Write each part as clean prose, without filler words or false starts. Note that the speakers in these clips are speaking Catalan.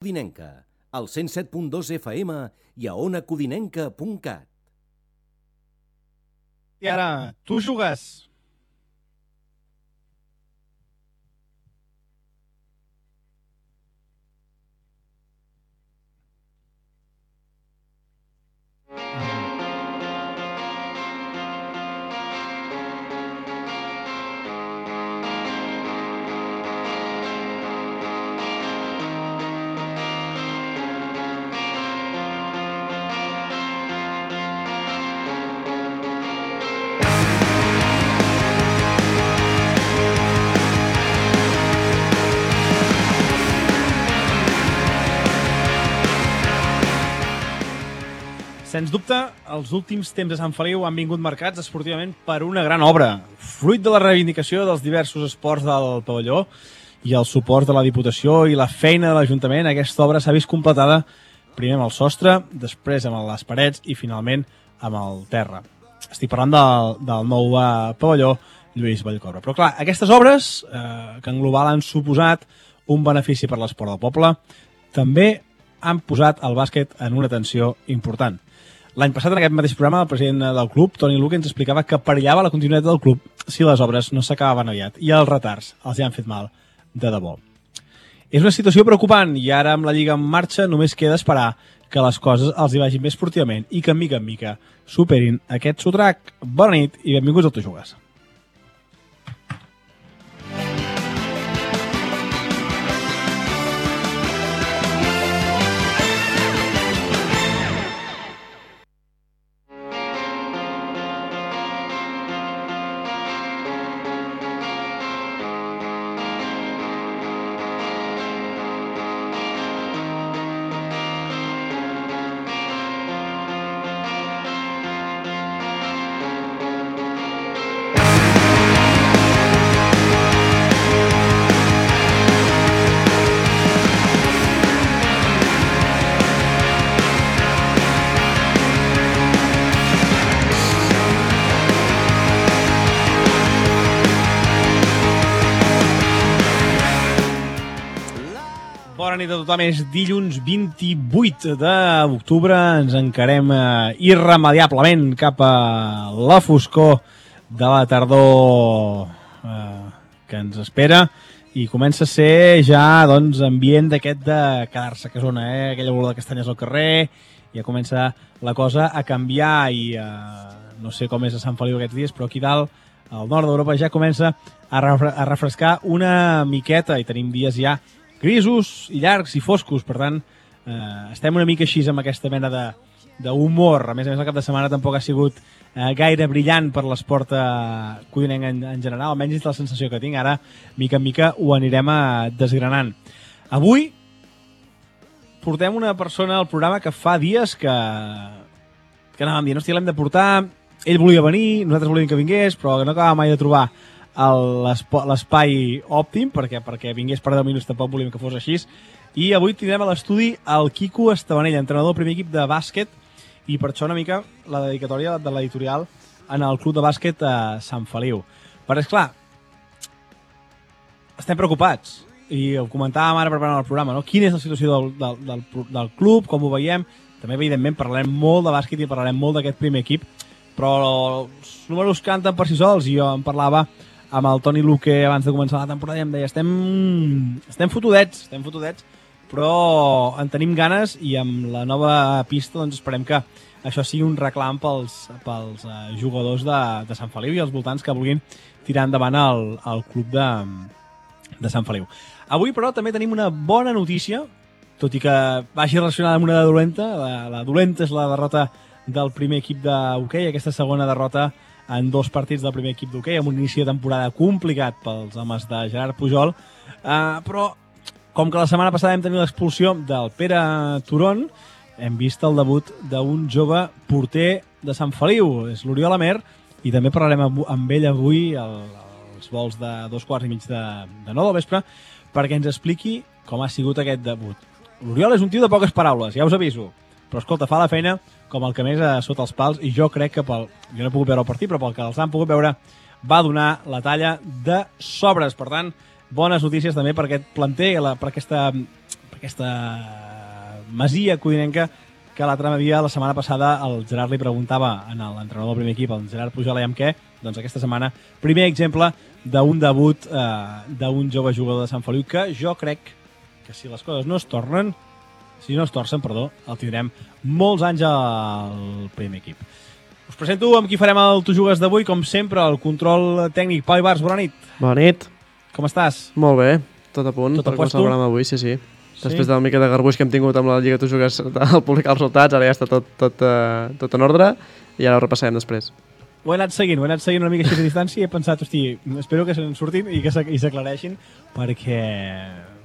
Codinenca, al 107.2 FM i a onacodinenca.cat. I ara, tu jugues. Sens dubte, els últims temps de Sant Feliu han vingut marcats esportivament per una gran obra, fruit de la reivindicació dels diversos esports del pavelló i el suport de la Diputació i la feina de l'Ajuntament. Aquesta obra s'ha vist completada primer amb el sostre, després amb les parets i finalment amb el terra. Estic parlant del nou pavelló Lluís Vallcorba. Però clar, aquestes obres, que en global han suposat un benefici per l'esport del poble, també han posat el bàsquet en una tensió important. L'any passat, en aquest mateix programa, el president del club, Toni Luque, ens explicava que perillava la continuïtat del club si les obres no s'acabaven aviat, i els retards els hi han fet mal de debò. És una situació preocupant, i ara amb la Lliga en marxa només queda esperar que les coses els hi vagin bé esportivament i que, mica en mica, superin aquest sotrac. Bona nit i benvinguts al Tu Jugues. Bona nit a tothom, és dilluns 28 d'octubre, ens encarem irremediablement cap a la foscor de la tardor que ens espera i comença a ser ja ambient d'aquest de quedar-se a casona, aquella olor de castanyes al carrer, ja comença la cosa a canviar i no sé com és a Sant Feliu aquests dies, però aquí dalt, al nord d'Europa, ja comença a refrescar una miqueta i tenim dies ja grisos i llargs i foscos, per tant estem una mica així amb aquesta mena d'humor. A més el cap de setmana tampoc ha sigut gaire brillant per l'esport codinenc en general, almenys és la sensació que tinc. Ara, mica en mica, ho anirem desgranant. Avui portem una persona al programa que fa dies que anàvem dient, hòstia, l'hem de portar, ell volia venir, nosaltres volíem que vingués, però no acabàvem mai de trobar l'espai òptim perquè vingués per 10 minuts, tampoc volíem que fos així, i avui tindrem a l'estudi el Quico Estabanell, entrenador del primer equip de bàsquet, i per això una mica la dedicatòria de l'editorial en el club de bàsquet a Sant Feliu. Però és clar, estem preocupats i ho comentàvem ara preparant el programa, no? Quina és la situació del club, com ho veiem. També evidentment parlarem molt de bàsquet i parlarem molt d'aquest primer equip, però els números canten per si sols, i jo em parlava amb el Toni Luque abans de començar la temporada i em deia estem fotudets, però en tenim ganes i amb la nova pista doncs esperem que això sigui un reclam pels jugadors de Sant Feliu i els voltants que vulguin tirar endavant el club de Sant Feliu. Avui, però, també tenim una bona notícia, tot i que vagi relacionada amb una de dolenta. La dolenta és la derrota del primer equip d'hoquei, aquesta segona derrota en 2 partits del primer equip d'hoquei, amb un inici de temporada complicat pels homes de Gerard Pujol, però com que la setmana passada vam tenir l'expulsió del Pere Turon, hem vist el debut d'un jove porter de Sant Feliu, és l'Oriol Amer, i també parlarem amb ell avui als vols de 2:15 de 9 del vespre, perquè ens expliqui com ha sigut aquest debut. L'Oriol és un tio de poques paraules, ja us aviso, però escolta, fa la feina com el que més sota els pals, i jo crec que jo no he pogut veure el partit, però pel que els han pogut veure va donar la talla de sobres. Per tant, bones notícies també per aquest planter, per aquesta masia codinenca que l'altre dia, la setmana passada, el Gerard li preguntava a l'entrenador del primer equip, el Gerard Pujol, amb què? Doncs aquesta setmana, primer exemple d'un debut d'un jove jugador de Sant Feliu que jo crec que si les coses no es torcen, el tindrem molts anys al primer equip. Us presento amb qui farem el Tu Jugues d'avui, com sempre, el control tècnic. Pau Ibars, bona nit. Bona nit. Com estàs? Molt bé, tot a punt Tot per a puesto? començar el programa avui, sí. Després de la mica de garbuix que hem tingut amb la Lliga Tu Jugues al publicar els resultats, ara ja està tot en ordre i ara ho repassarem després. Ho he anat seguint una mica així de distància i he pensat, hosti, espero que se'n surtin i que s'aclareixin perquè,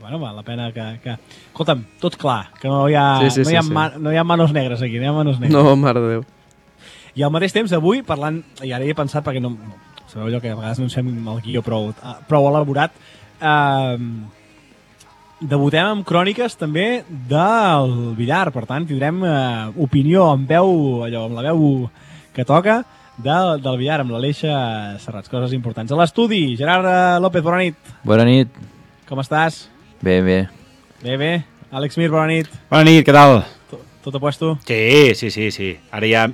bueno, val la pena que... Escolta'm, tot clar, que no hi ha manos negres aquí, no hi ha manos negres. No, mare de Déu. I al mateix temps, avui, parlant, i ara he pensat perquè no sabeu allò que a vegades no ens fem el guió prou elaborat, debutem amb cròniques també del billar, per tant tindrem opinió amb la veu que toca del billar, amb l'Aleixa Serrats, coses importants. A l'estudi, Gerard López, bona nit. Bona nit. Com estàs? Bé. Bé. Àlex Mir, bona nit. Bona nit, què tal? Tot a puesto? Sí. Ara ja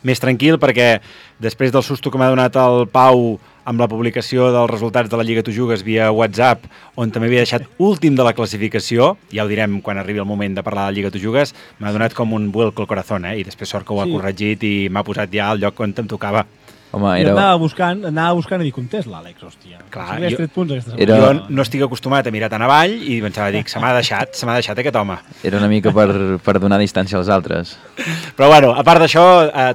més tranquil perquè després del susto que m'ha donat el Pau amb la publicació dels resultats de la Lliga Tu Jugues via WhatsApp, on també havia deixat últim de la classificació, ja ho direm quan arribi el moment de parlar de la Lliga Tu Jugues, m'ha donat com un vuelco al corazón, i després sort que ho ha corregit i m'ha posat ja al lloc on em tocava. Home, jo anava buscant i dic, on és l'Àlex, hòstia? Clar, jo no estic acostumat a mirar tan avall i pensava, se m'ha deixat aquest home. Era una mica per donar distància als altres. Però bueno, a part d'això,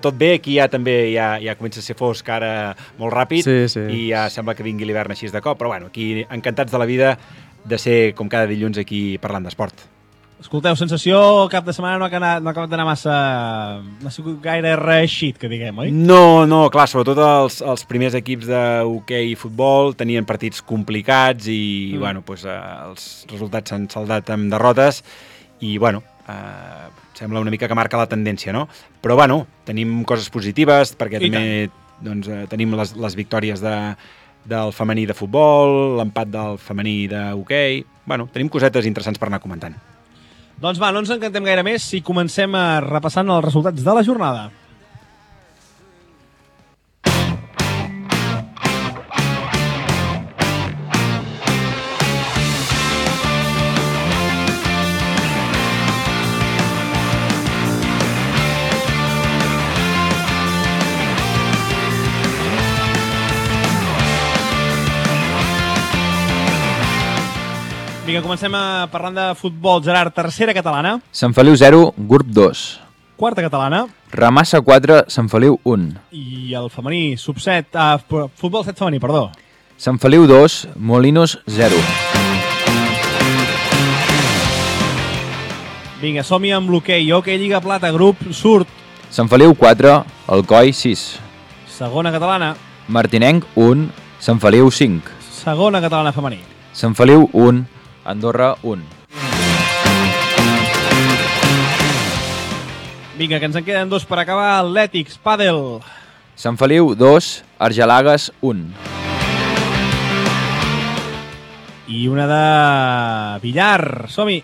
tot bé, aquí ja també ja comença a ser fosc ara molt ràpid i ja sembla que vingui l'hivern així de cop, però bueno, aquí encantats de la vida de ser com cada dilluns aquí parlant d'esport. Escolteu, sensació, cap de setmana no ha acabat d'anar massa... No ha sigut gaire reeixit, que diguem, oi? No, clar, sobretot els primers equips d'hoquei i futbol tenien partits complicats i, bueno, doncs, els resultats s'han saldat amb derrotes i, bueno, sembla una mica que marca la tendència, no? Però, bueno, tenim coses positives perquè també tenim les victòries del femení de futbol, l'empat del femení d'hoquei... Bueno, tenim cosetes interessants per anar comentant. Doncs va, no ens encantem gaire més si comencem repassant els resultats de la jornada. Vinga, comencem parlant de futbol. Gerard, tercera catalana. Sant Feliu 0, grup 2. Quarta catalana. Ramassa 4, Sant Feliu 1. I el femení, sub-7, futbol 7 femení, perdó. Sant Feliu 2, Molinos 0. Vinga, som-hi amb l'hoquei. Hoquei Lliga Plata, grup surt. Sant Feliu 4, Alcoi 6. Segona catalana. Martinenc 1, Sant Feliu 5. Segona catalana femení. Sant Feliu 1, Andorra 1. Vinga, que ens en queden dos per acabar. Atlètics, pàdel. Sant Feliu 2, Argelagues 1. I una de billar. Som-hi.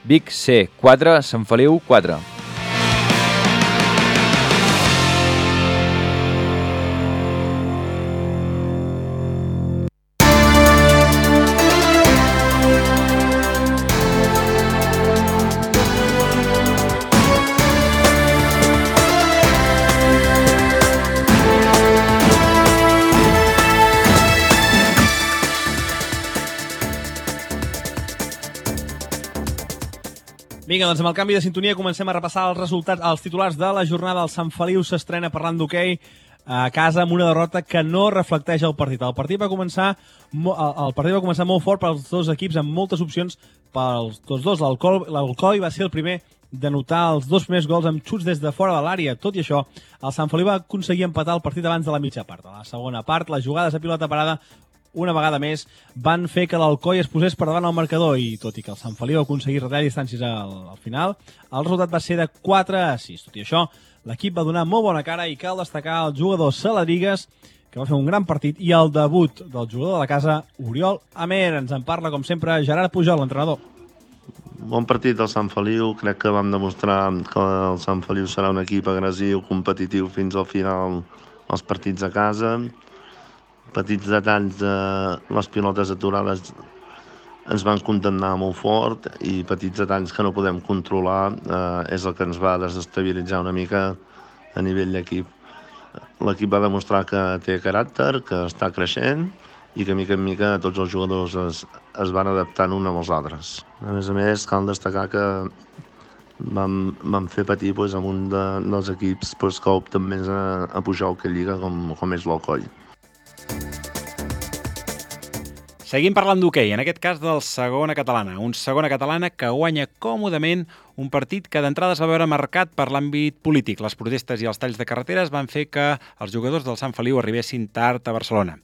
Vic C 4, Sant Feliu 4. Vinga, doncs amb el canvi de sintonia comencem a repassar els resultats, els titulars de la jornada. El Sant Feliu s'estrena parlant d'hoquei a casa amb una derrota que no reflecteix el partit. El partit va començar molt fort pels dos equips, amb moltes opcions pels tots dos. L'Alcoi va ser el primer de notar els dos primers gols amb xuts des de fora de l'àrea. Tot i això, el Sant Feliu va aconseguir empatar el partit abans de la mitja part. A la segona part, les jugades a pilota parada una vegada més van fer que l'Alcoi es posés per davant al marcador i tot i que el Sant Feliu va aconseguir retallar distàncies al final, el resultat va ser de 4-6. Tot i això, l'equip va donar molt bona cara i cal destacar el jugador Saladrigues, que va fer un gran partit, i el debut del jugador de la casa, Oriol Amer. Ens en parla, com sempre, Gerard Pujol, l'entrenador. Bon partit del Sant Feliu, crec que vam demostrar que el Sant Feliu serà un equip agressiu, competitiu fins al final els partits a casa. Petits detalls de les pilotes aturades ens van condemnar molt fort i petits detalls que no podem controlar és el que ens va desestabilitzar una mica a nivell d'equip. L'equip va demostrar que té caràcter, que està creixent i que mica en mica tots els jugadors es van adaptant uns amb els altres. A més, cal destacar que vam fer patir amb un dels equips que opten més a pujar a Lliga com és l'Alcoi. Seguim parlant d'hoquei, en aquest cas del Segona Catalana. Un Segona Catalana que guanya còmodament un partit que d'entrada es va veure marcat per l'àmbit polític. Les protestes i els talls de carreteres van fer que els jugadors del Sant Feliu arribessin tard a Barcelona.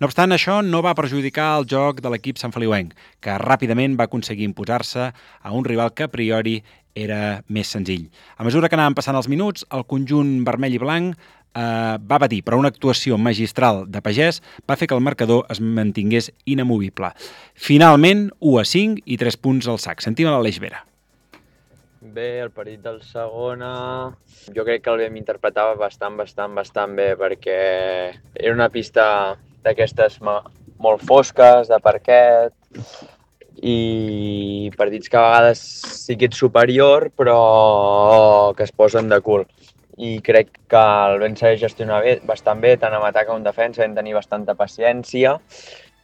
No obstant, això no va perjudicar el joc de l'equip santfeliuenc, que ràpidament va aconseguir imposar-se a un rival que a priori era més senzill. A mesura que anaven passant els minuts, el conjunt vermell i blanc va patir, però una actuació magistral de Pagès va fer que el marcador es mantingués inamovible. Finalment, 1-5 i 3 punts al sac. Sentim a l'Aleix Vera. Bé, el partit del Segona jo crec que el vam interpretar bastant bé, perquè era una pista d'aquestes molt fosques, de parquet, i partits que a vegades sí que ets superior però que es posen de cul. I crec que el vam saber gestionar bastant bé, tant en atac com en defensa, vam tenir bastanta paciència,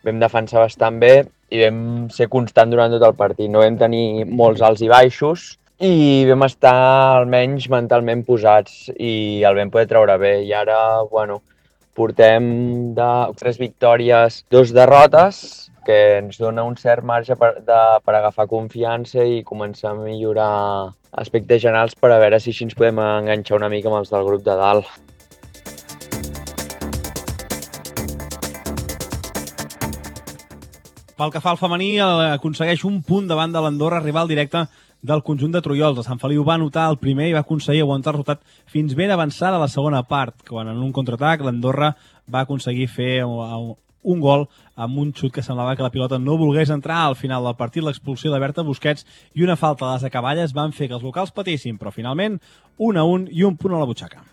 vam defensar bastant bé i vam ser constant durant tot el partit. No vam tenir molts alts i baixos i vam estar almenys mentalment posats i el vam poder treure bé. I ara, portem de 3 victòries, 2 derrotes, que ens dona un cert marge per agafar confiança i començar a millorar aspectes generals per a veure si així ens podem enganxar una mica amb els del grup de dalt. Pel que fa al femení, aconsegueix un punt davant de l'Andorra, rival directe del conjunt de Trullols. El Sant Feliu va anotar el primer i va aconseguir aguantar el resultat fins ben avançada a la segona part, quan en un contraatac l'Andorra va aconseguir fer un gol amb un xut que semblava que la pilota no volgués entrar. Al final del partit, l'expulsió de Berta Busquets i una falta a les acaballes van fer que els locals patissin, però finalment 1-1 i un punt a la butxaca.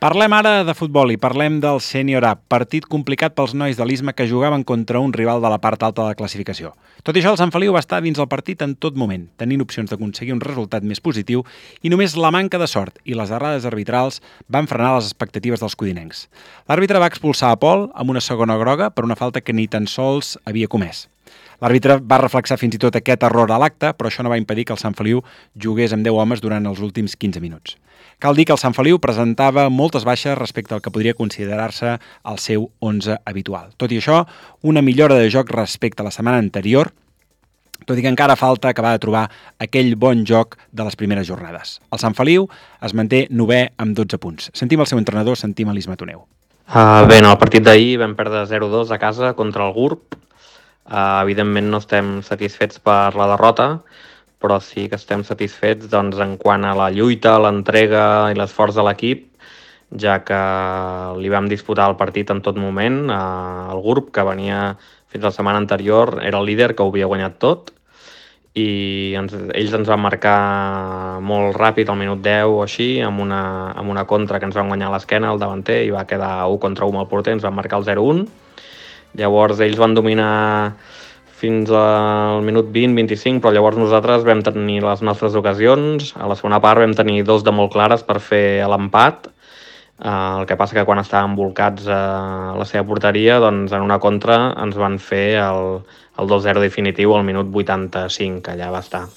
Parlem ara de futbol i parlem del Sènior A, partit complicat pels nois de l'Isma que jugaven contra un rival de la part alta de la classificació. Tot i això, el Sant Feliu va estar dins el partit en tot moment, tenint opcions d'aconseguir un resultat més positiu i només la manca de sort i les errades arbitrals van frenar les expectatives dels codinencs. L'àrbitre va expulsar a Pol amb una segona groga per una falta que ni tan sols havia comès. L'àrbitre va reflexar fins i tot aquest error a l'acte, però això no va impedir que el Sant Feliu jugués amb 10 homes durant els últims 15 minuts. Cal dir que el Sant Feliu presentava moltes baixes respecte al que podria considerar-se el seu 11 habitual. Tot i això, una millora de joc respecte a la setmana anterior, tot i que encara falta acabar de trobar aquell bon joc de les primeres jornades. El Sant Feliu es manté 9è amb 12 punts. Sentim el seu entrenador, sentim a l'Isma Toneu. Bé, en el partit d'ahir vam perdre 0-2 a casa contra el GURB. Evidentment no estem satisfets per la derrota, però sí que estem satisfets en quant a la lluita, l'entrega i l'esforç de l'equip, ja que li vam disputar el partit en tot moment. El GURB, que venia fins la setmana anterior, era el líder, que ho havia guanyat tot, i ells ens van marcar molt ràpid, al minut 10 o així, amb una contra que ens van guanyar a l'esquena, el davanter, i va quedar 1 contra 1 amb el porter, ens van marcar el 0-1. Llavors ells van dominar fins al minut 20-25, però llavors nosaltres vam tenir les nostres ocasions. A la segona part vam tenir 2 de molt clares per fer l'empat. El que passa que quan estàvem volcats a la seva porteria, doncs en una contra ens van fer el 2-0 definitiu al minut 85, que allà va estar.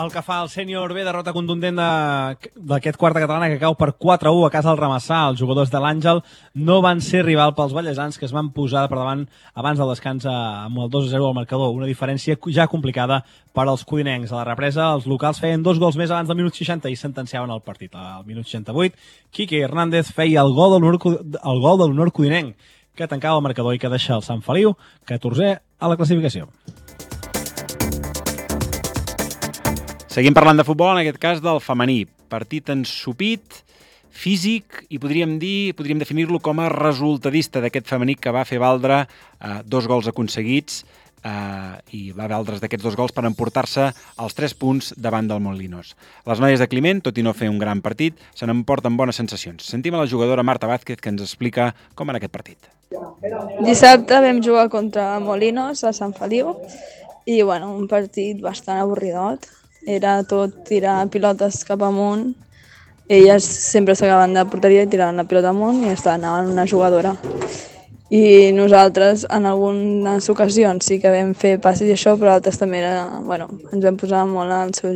El que fa el Sènior B, derrota contundent d'aquest quarta catalana que cau per 4-1 a casa del Ramassà. Els jugadors de l'Àngel no van ser rival pels ballesans, que es van posar per davant abans del descans amb el 2-0 al marcador. Una diferència ja complicada per als codinencs. A la represa, els locals feien 2 gols més abans del minut 60 i sentenciaven el partit. Al minut 68, Quique Hernández feia el gol de l'honor codinenc, que tancava el marcador i que deixa el Sant Feliu 14è a la classificació. Seguim parlant de futbol, en aquest cas del femení. Partit ensopit, físic i podríem definir-lo com a resultadista d'aquest femení que va fer valdre 2 gols aconseguits i va valdre's d'aquests 2 gols per emportar-se els 3 punts davant del Molinos. Les noies de Climent, tot i no fer un gran partit, se n'emporten bones sensacions. Sentim a la jugadora Marta Vázquez que ens explica com va anar aquest partit. Dissabte vam jugar contra Molinos a Sant Feliu i un partit bastant avorridot. Era tot tirar pilotes cap amunt. Elles sempre s'acaben de porteria i tiraven la pilota amunt i anaven una jugadora. I nosaltres en algunes ocasions sí que vam fer passes i això, però altres també ens vam posar molt al seu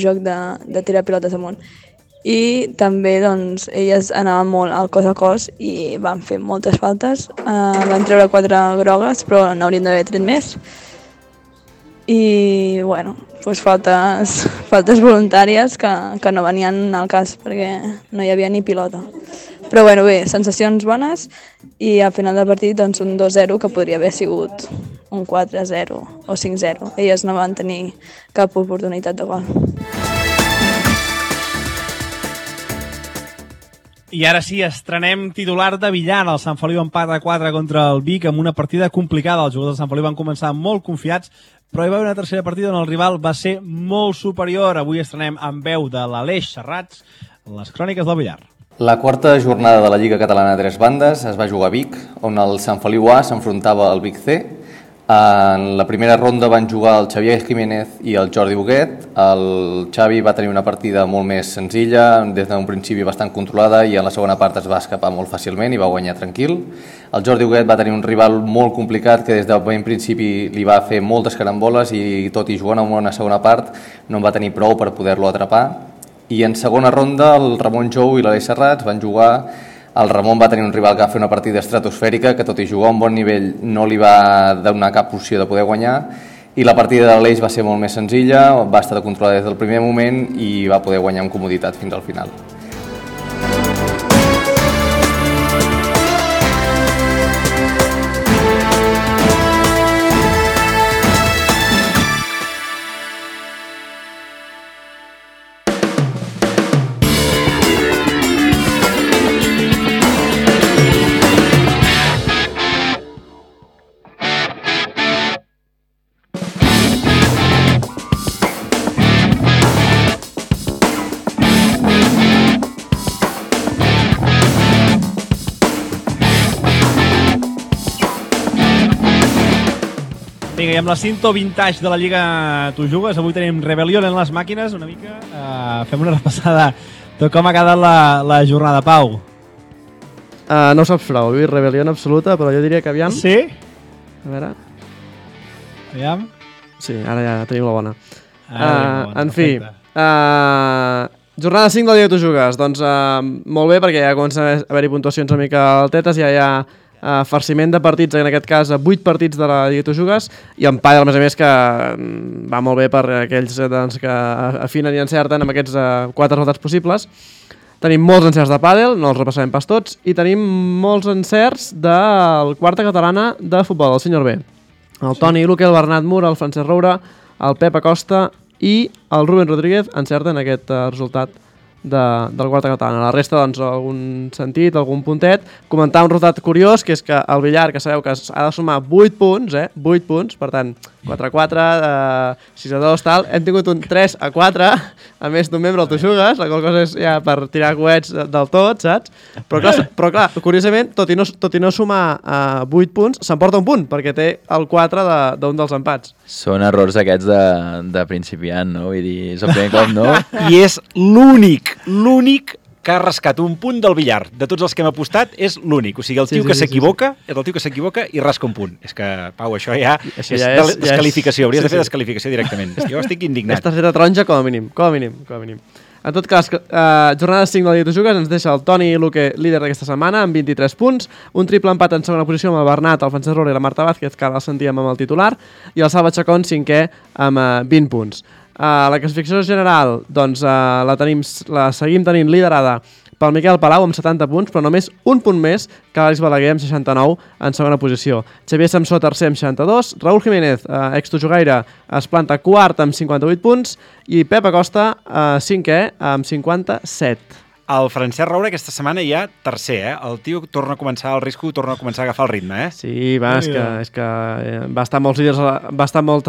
joc de tirar pilotes amunt. I també elles anaven molt al cos a cos i van fer moltes faltes. Van treure 4 grogues, però n'haurien d'haver tret més. I faltes voluntàries que no venien al cas perquè no hi havia ni pilota. Però bé, sensacions bones i al final del partit un 2-0 que podria haver sigut un 4-0 o 5-0. Elles no van tenir cap oportunitat de gol. I ara sí, estrenem titular de Villar. El Sant Feliu empat a 4 contra el Vic amb una partida complicada. Els jugadors del Sant Feliu van començar molt confiats, però hi va haver una tercera partida on el rival va ser molt superior. Avui estrenem amb veu de l'Aleix Serrats les cròniques del Villar. La quarta jornada de la Lliga Catalana a 3 bandes es va jugar a Vic, on el Sant Feliu A s'enfrontava al Vic C. En la primera ronda van jugar el Xavier Jiménez i el Jordi Boguet. El Xavi va tenir una partida molt més senzilla, des d'un principi bastant controlada, i en la segona part es va escapar molt fàcilment i va guanyar tranquil. El Jordi Boguet va tenir un rival molt complicat que des del ben principi li va fer moltes caramboles i tot i jugant en una segona part no en va tenir prou per poder-lo atrapar. I en segona ronda el Ramon Jou i l'Aleix Serrats van jugar. El Ramon va tenir un rival que va fer una partida estratosfèrica que tot i jugar a un bon nivell no li va donar cap opció de poder guanyar, i la partida de l'Aleix va ser molt més senzilla, va estar controlada des del primer moment i va poder guanyar amb comoditat fins al final. Vinga, i amb la cinto vintage de la Lliga Tu Jugues, avui tenim Rebel·lion en les màquines, una mica. Fem una repassada de com ha quedat la jornada, Pau. No ho saps prou, Rebel·lion absoluta, però jo diria que aviam... Sí? A veure... Aviam? Sí, ara ja tenim la bona. En fi, jornada 5 de la Lliga Tu Jugues. Doncs molt bé, perquè ja comença a haver-hi puntuacions una mica altetes, ja hi ha farciment de partits, en aquest cas 8 partits de la Lliga Tu Jugues, i en pàdel, a més a més, que va molt bé per aquells que afinen i encerten amb aquests 4 resultats possibles. Tenim molts encerts de pàdel, no els repassarem pas tots, i tenim molts encerts del quarta catalana de futbol, el senyor B. El Toni Luque, el Bernat Mur, el Francesc Roura, el Pep Acosta i el Rubén Rodríguez encerten aquest resultat del quarta catalana. La resta, doncs, algun sentit, algun puntet. Comentar un resultat curiós, que és que el Villar, que sabeu que ha de sumar 8 punts, 8 punts, per tant, 4-4, 6-2, tal. Hem tingut un 3-4, a més d'un membre al Tu Jugues, la qual cosa és ja per tirar coets del tot, saps? Però clar, curiosament, tot i no sumar 8 punts, s'emporta un punt, perquè té el 4 d'un dels empats. Són errors aquests de principiant, no? Vull dir, és el primer cop, no? I és l'únic que ha rascat un punt del Villar. De tots els que hem apostat, és l'únic. O sigui, el tio que s'equivoca és el tio que s'equivoca i rasca un punt. És que, Pau, això ja és descalificació. Hauries de fer descalificació directament. Jo estic indignat. És targeta taronja com a mínim. En tot cas, jornada 5 de la Lliga Tu Jugues ens deixa el Toni Luque líder d'aquesta setmana amb 23 punts, un triple empat en segona posició amb el Bernat, el Francesc Roura i la Marta Vázquez, que ara el sentíem amb el titular, i el Salva Chacón 5è amb 20 punts. La classificació general, doncs, la seguim tenint liderada pel Miquel Palau amb 70 punts, però només un punt més que l'Àlex Balaguer amb 69 en segona posició. Xavier Samsó tercer amb 62, Raúl Jiménez, ex-tujugaire, es planta quart amb 58 punts i Pep Acosta, cinquè amb 57. El Francesc Roure aquesta setmana ja tercer, El tio torna a començar al risco, torna a començar a agafar el ritme, Sí, és que va estar moltes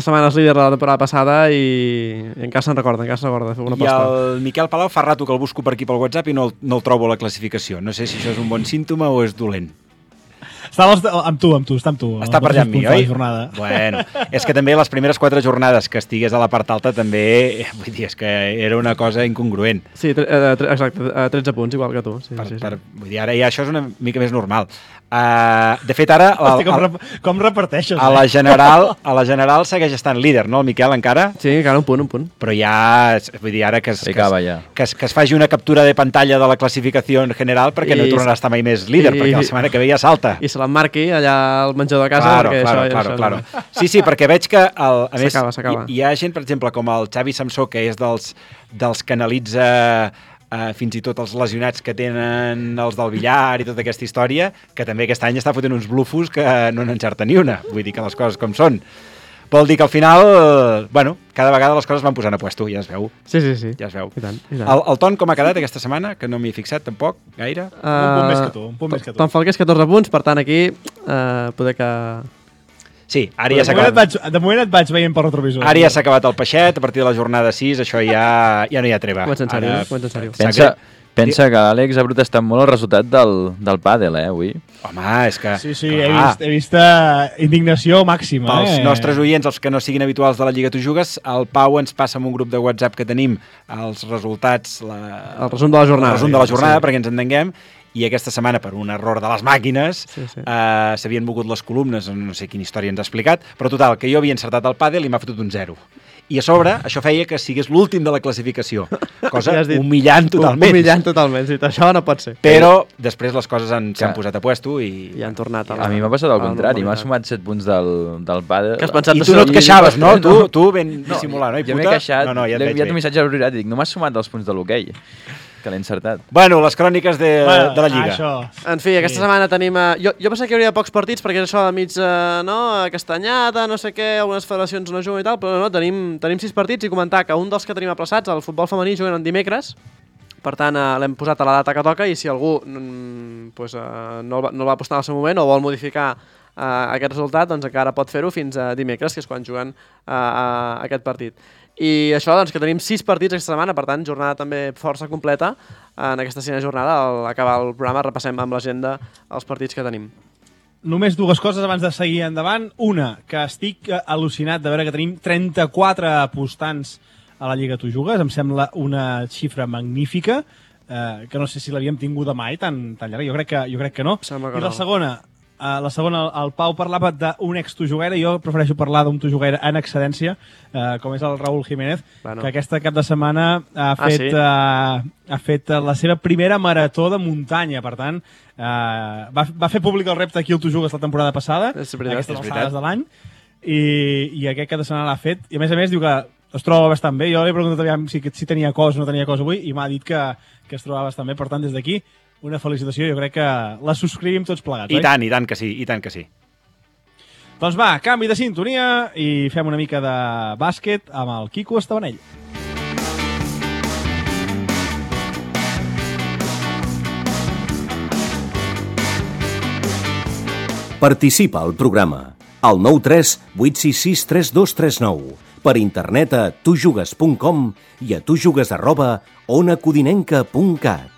setmanes líder la temporada passada i encara se'n recorda, de fer una aposta. I el Miquel Palau fa rato que el busco per aquí pel WhatsApp i no el trobo a la classificació. No sé si això és un bon símptoma o és dolent. Està amb tu. Està per allà amb mi, oi? Bueno, és que també les primeres 4 jornades que estigués a la part alta també, vull dir, és que era una cosa incongruent. Sí, exacte, 13 punts, igual que tu. Sí. Vull dir, ara ja això és una mica més normal. De fet, ara... Com reparteixes? A la general segueix estant líder, no, el Miquel, encara? Sí, encara un punt. Però ja, vull dir, ara que es faci una captura de pantalla de la classificació en general perquè no tornarà a estar mai més líder, perquè la setmana que ve ja salta. I se l'emmarqui allà al menjador de casa. Claro. Sí, perquè veig que, a més, s'acaba. Hi ha gent, per exemple, com el Xavi Samsó, que és dels que analitza fins i tot els lesionats que tenen els del billar i tota aquesta història, que també aquest any està fotent uns blufos que no n'encerta ni una. Vull dir que les coses com són. Vol dir que al final, cada vegada les coses van posant a puesto, ja es veu. Sí. Ja es veu. I tant. El Ton com ha quedat aquesta setmana? Que no m'hi he fixat tampoc, gaire. Un punt més que tu. Ton Falqués, 14 punts, per tant aquí poder que... Sí, ara ja s'ha acabat. De moment et vaig veient per retrovisor. Ara ja s'ha acabat el peixet, a partir de la jornada 6, això ja no hi ha treva. Comença en sèrio. Pensa que l'Àlex ha protestat molt el resultat del pàdel, avui. Home, és que... Sí, he vist indignació màxima. Pels nostres oients, els que no siguin habituals de la Lliga Tu Jugues, el Pau ens passa en un grup de WhatsApp que tenim els resultats... El resum de la jornada. El resum de la jornada, perquè ens entenguem. I aquesta setmana, per un error de les màquines, s'havien mogut les columnes, no sé quina història ens ha explicat, però total, que jo havia encertat el pàdel i m'ha fotut un 0. I a sobre, això feia que sigués l'últim de la classificació, cosa humillant totalment. Sí, això no pot ser. Però després les coses s'han posat a puesto i han tornat. A mi m'ha passat al contrari, m'ha sumat 7 punts del pàdel. I tu no et queixaves, no? Tu ben dissimulant, no? Jo m'he queixat, l'he enviat un missatge a l'horirat i dic, no m'has sumat els punts de l'hoquei. Que l'he encertat. Bueno, les cròniques de la Lliga. Això. En fi, aquesta setmana tenim... Jo pensava que hi hauria pocs partits perquè és això de mig, castanyada, no sé què, algunes federacions no juguen i tal, però no, tenim 6 partits i comentar que un dels que tenim aplaçats, el futbol femení, juguen en dimecres, per tant l'hem posat a la data que toca i si algú no el va apostar en el seu moment o vol modificar aquest resultat, doncs encara pot fer-ho fins a dimecres, que és quan juguen aquest partit. I això, doncs, que tenim 6 partits aquesta setmana, per tant, jornada també força completa. En aquesta 6a jornada, al acabar el programa, repassem amb l'agenda els partits que tenim. Només 2 coses abans de seguir endavant. Una, que estic al·lucinat de veure que tenim 34 apostants a la Lliga Tu Jugues. Em sembla una xifra magnífica, que no sé si l'havíem tingut mai tan llarga. Jo crec que no. I la segona, el Pau parlava d'un ex-tujuguera, jo prefereixo parlar d'un tujuguera en excedència, com és el Raúl Jiménez, que aquesta cap de setmana ha fet la seva primera marató de muntanya, per tant, va fer públic el repte aquí al Tu Jugues la temporada passada, aquestes alçades de l'any, i aquest cap de setmana l'ha fet, i a més diu que es troba bastant bé. Jo li he preguntat aviam si tenia cos o no tenia cos avui, i m'ha dit que es trobava bastant bé, per tant, des d'aquí, una felicitació, jo crec que la subscrivim tots plegats, oi? I tant que sí. Doncs va, canvi de sintonia i fem una mica de bàsquet amb el Quico Estabanell. Participa al programa al 93 866 3239, per internet a tujugues.com i a tujugues@onacodinenca.cat.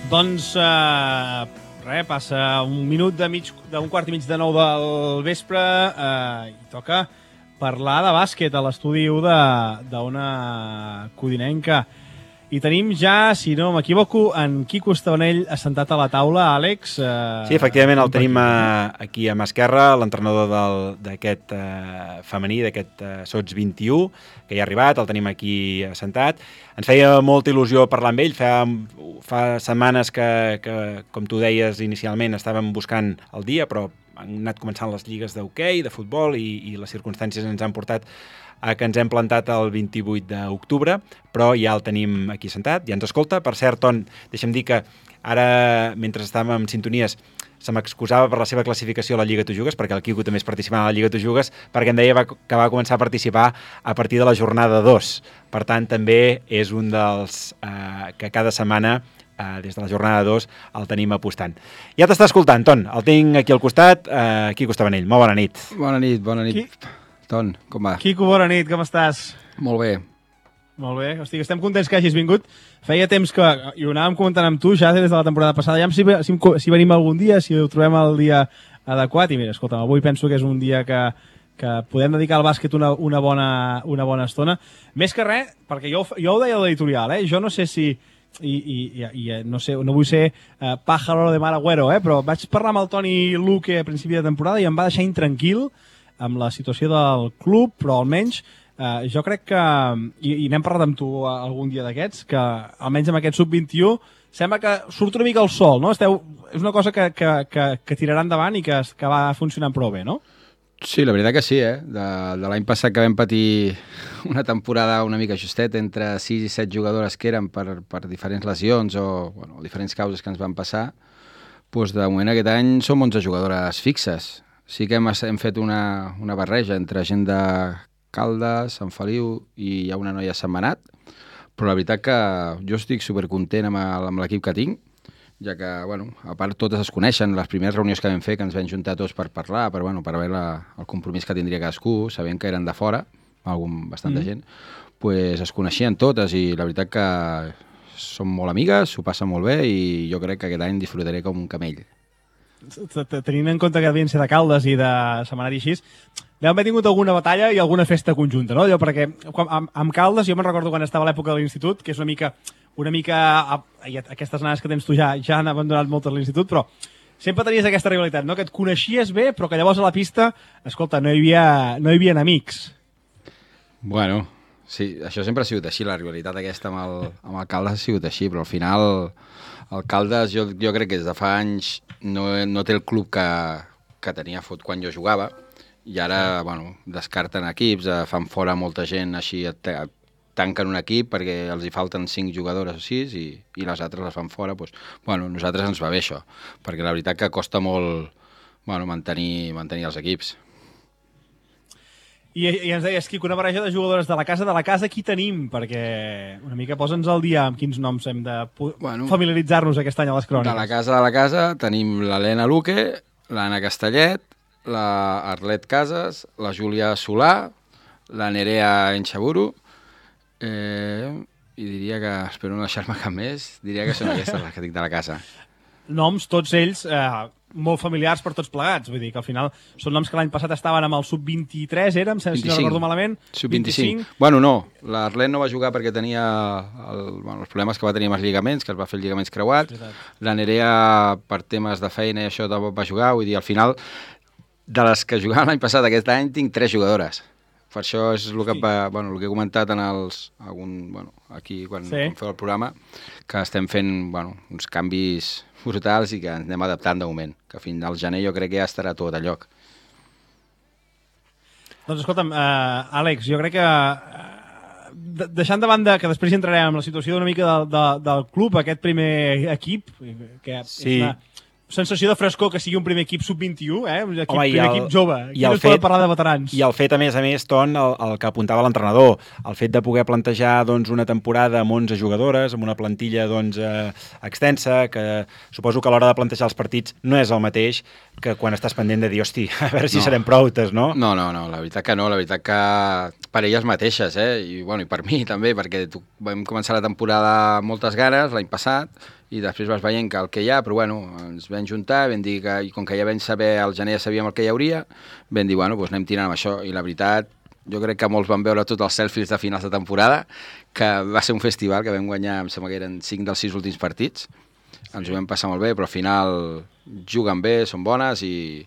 Doncs, passa un minut d'un quart i mig de 9 del vespre i toca parlar de bàsquet a l'estudi d'Ona Codinenca. I tenim ja, si no m'equivoco, en Quico Estabanell assentat a la taula. Àlex... Sí, efectivament, el tenim aquí a mà esquerra, l'entrenador d'aquest femení, d'aquest Sots 21, que ja ha arribat, el tenim aquí assentat. Ens feia molta il·lusió parlar amb ell, fa setmanes que, com tu deies inicialment, estàvem buscant el dia, però han anat començant les lligues d'hoquei, de futbol, i les circumstàncies ens han portat que ens hem plantat el 28 d'octubre, però ja el tenim aquí sentat, ja ens escolta. Per cert, Ton, deixa'm dir que ara, mentre estàvem en sintonies, se m'excusava per la seva classificació a la Lliga Tu Jugues, perquè el Quico també és participant a la Lliga Tu Jugues, perquè em deia que va començar a participar a partir de la jornada 2. Per tant, també és un dels que cada setmana, des de la jornada 2, el tenim apostant. Ja t'està escoltant, Ton, el tinc aquí al costat, Quico Estabanell. Molt bona nit. Bona nit. Ton, com va? Quico, bona nit, com estàs? Molt bé. Molt bé, hosti, estem contents que hagis vingut. Feia temps que, i ho anàvem comentant amb tu ja des de la temporada passada, ja si venim algun dia, si ho trobem el dia adequat, i mira, escolta'm, avui penso que és un dia que podem dedicar al bàsquet una bona estona. Més que res, perquè jo ho deia a l'editorial, jo no sé si... no sé, no vull ser pájaro de mal agüero, però vaig parlar amb el Toni Luque a principi de temporada i em va deixar intranquil amb la situació del club, però almenys jo crec que, i n'hem parlat amb tu algun dia d'aquests, que almenys amb aquest sub-21 sembla que surt una mica el sol, no? És una cosa que tirarà endavant i que va funcionant prou bé, no? Sí, la veritat que sí, de l'any passat que vam patir una temporada una mica justet entre 6 i 7 jugadores que eren per diferents lesions o diferents causes que ens van passar, doncs de moment aquest any som 11 jugadores fixes. Sí que hem fet una barreja entre gent de Caldes, Sant Feliu i hi ha una noia a Sentmenat, però la veritat que jo estic supercontent amb l'equip que tinc, ja que, a part totes es coneixen, les primeres reunions que vam fer, que ens vam juntar tots per parlar, per veure el compromís que tindria cadascú, sabent que eren de fora, bastanta gent, pues es coneixien totes i la veritat que som molt amigues, s'ho passen molt bé i jo crec que aquest any disfrutaré com un camell. Tenint en compte que devien ser de Caldes i de Sentmenat i així, deu haver tingut alguna batalla i alguna festa conjunta, no? Perquè amb Caldes, jo me'n recordo quan estava a l'època de l'institut, que és una mica aquestes nanes que tens tu ja han abandonat moltes a l'institut, però sempre tenies aquesta rivalitat, no? Que et coneixies bé, però que llavors a la pista, escolta, no hi havia amics. Bueno, sí, això sempre ha sigut així, la rivalitat aquesta amb el Caldes ha sigut així, però al final el Caldes jo crec que des de fa anys no té el club que tenia quan jo jugava i ara, descarten equips, fan fora molta gent així, tanquen un equip perquè els hi falten 5 jugadores o 6 i les altres les fan fora. Nosaltres ens va bé això, perquè la veritat que costa molt mantenir els equips. I ens deies, Quico, una barreja de jugadores de la casa, qui tenim? Perquè una mica posa'ns al dia amb quins noms hem de familiaritzar-nos aquest any a les cròniques. De la casa tenim l'Helena Luque, l'Anna Castellet, la Arlet Casas, la Júlia Solà, la Nerea Enxaburu, i diria que, espero no deixar-me cap més, diria que són aquestes les que tinc de la casa. Noms, tots ells, molt familiars per tots plegats, vull dir que al final són noms que l'any passat estaven amb el sub-23, si no recordo malament. Sub-25. Bueno, no, l'Arlet no va jugar perquè tenia els problemes que va tenir amb els lligaments, que es va fer els lligaments creuats. La Nerea, per temes de feina i això, tampoc va jugar, vull dir, al final, de les que jugaven l'any passat, aquest any, tinc 3 jugadores. Per això és el que he comentat aquí quan feu el programa, que estem fent uns canvis brutals i que ens anem adaptant de moment, que fins al gener jo crec que ja estarà tot a lloc. Doncs escolta'm, Àlex, jo crec que deixant de banda que després hi entrarem en la situació una mica del club, aquest primer equip, que és una sensació de frescor que sigui un primer equip sub-21, primer equip jove. Aquí no es pot parlar de veterans. I el fet, a més, Ton, el que apuntava l'entrenador, el fet de poder plantejar una temporada amb 11 jugadores, amb una plantilla extensa, que suposo que a l'hora de plantejar els partits no és el mateix que quan estàs pendent de dir, hosti, a veure si serem proutes, no? No, la veritat que no, la veritat que per elles mateixes, i per mi també, perquè vam començar la temporada amb moltes ganes l'any passat, i després vas veient que el que hi ha, però ens vam juntar, vam dir que, i com que ja vam saber, al gener ja sabíem el que hi hauria, vam dir, doncs anem tirant amb això, i la veritat, jo crec que molts van veure tots els selfies de finals de temporada, que va ser un festival que vam guanyar, em sembla que eren 5 dels 6 últims partits. Ens ho vam passar molt bé, però al final juguen bé, són bones i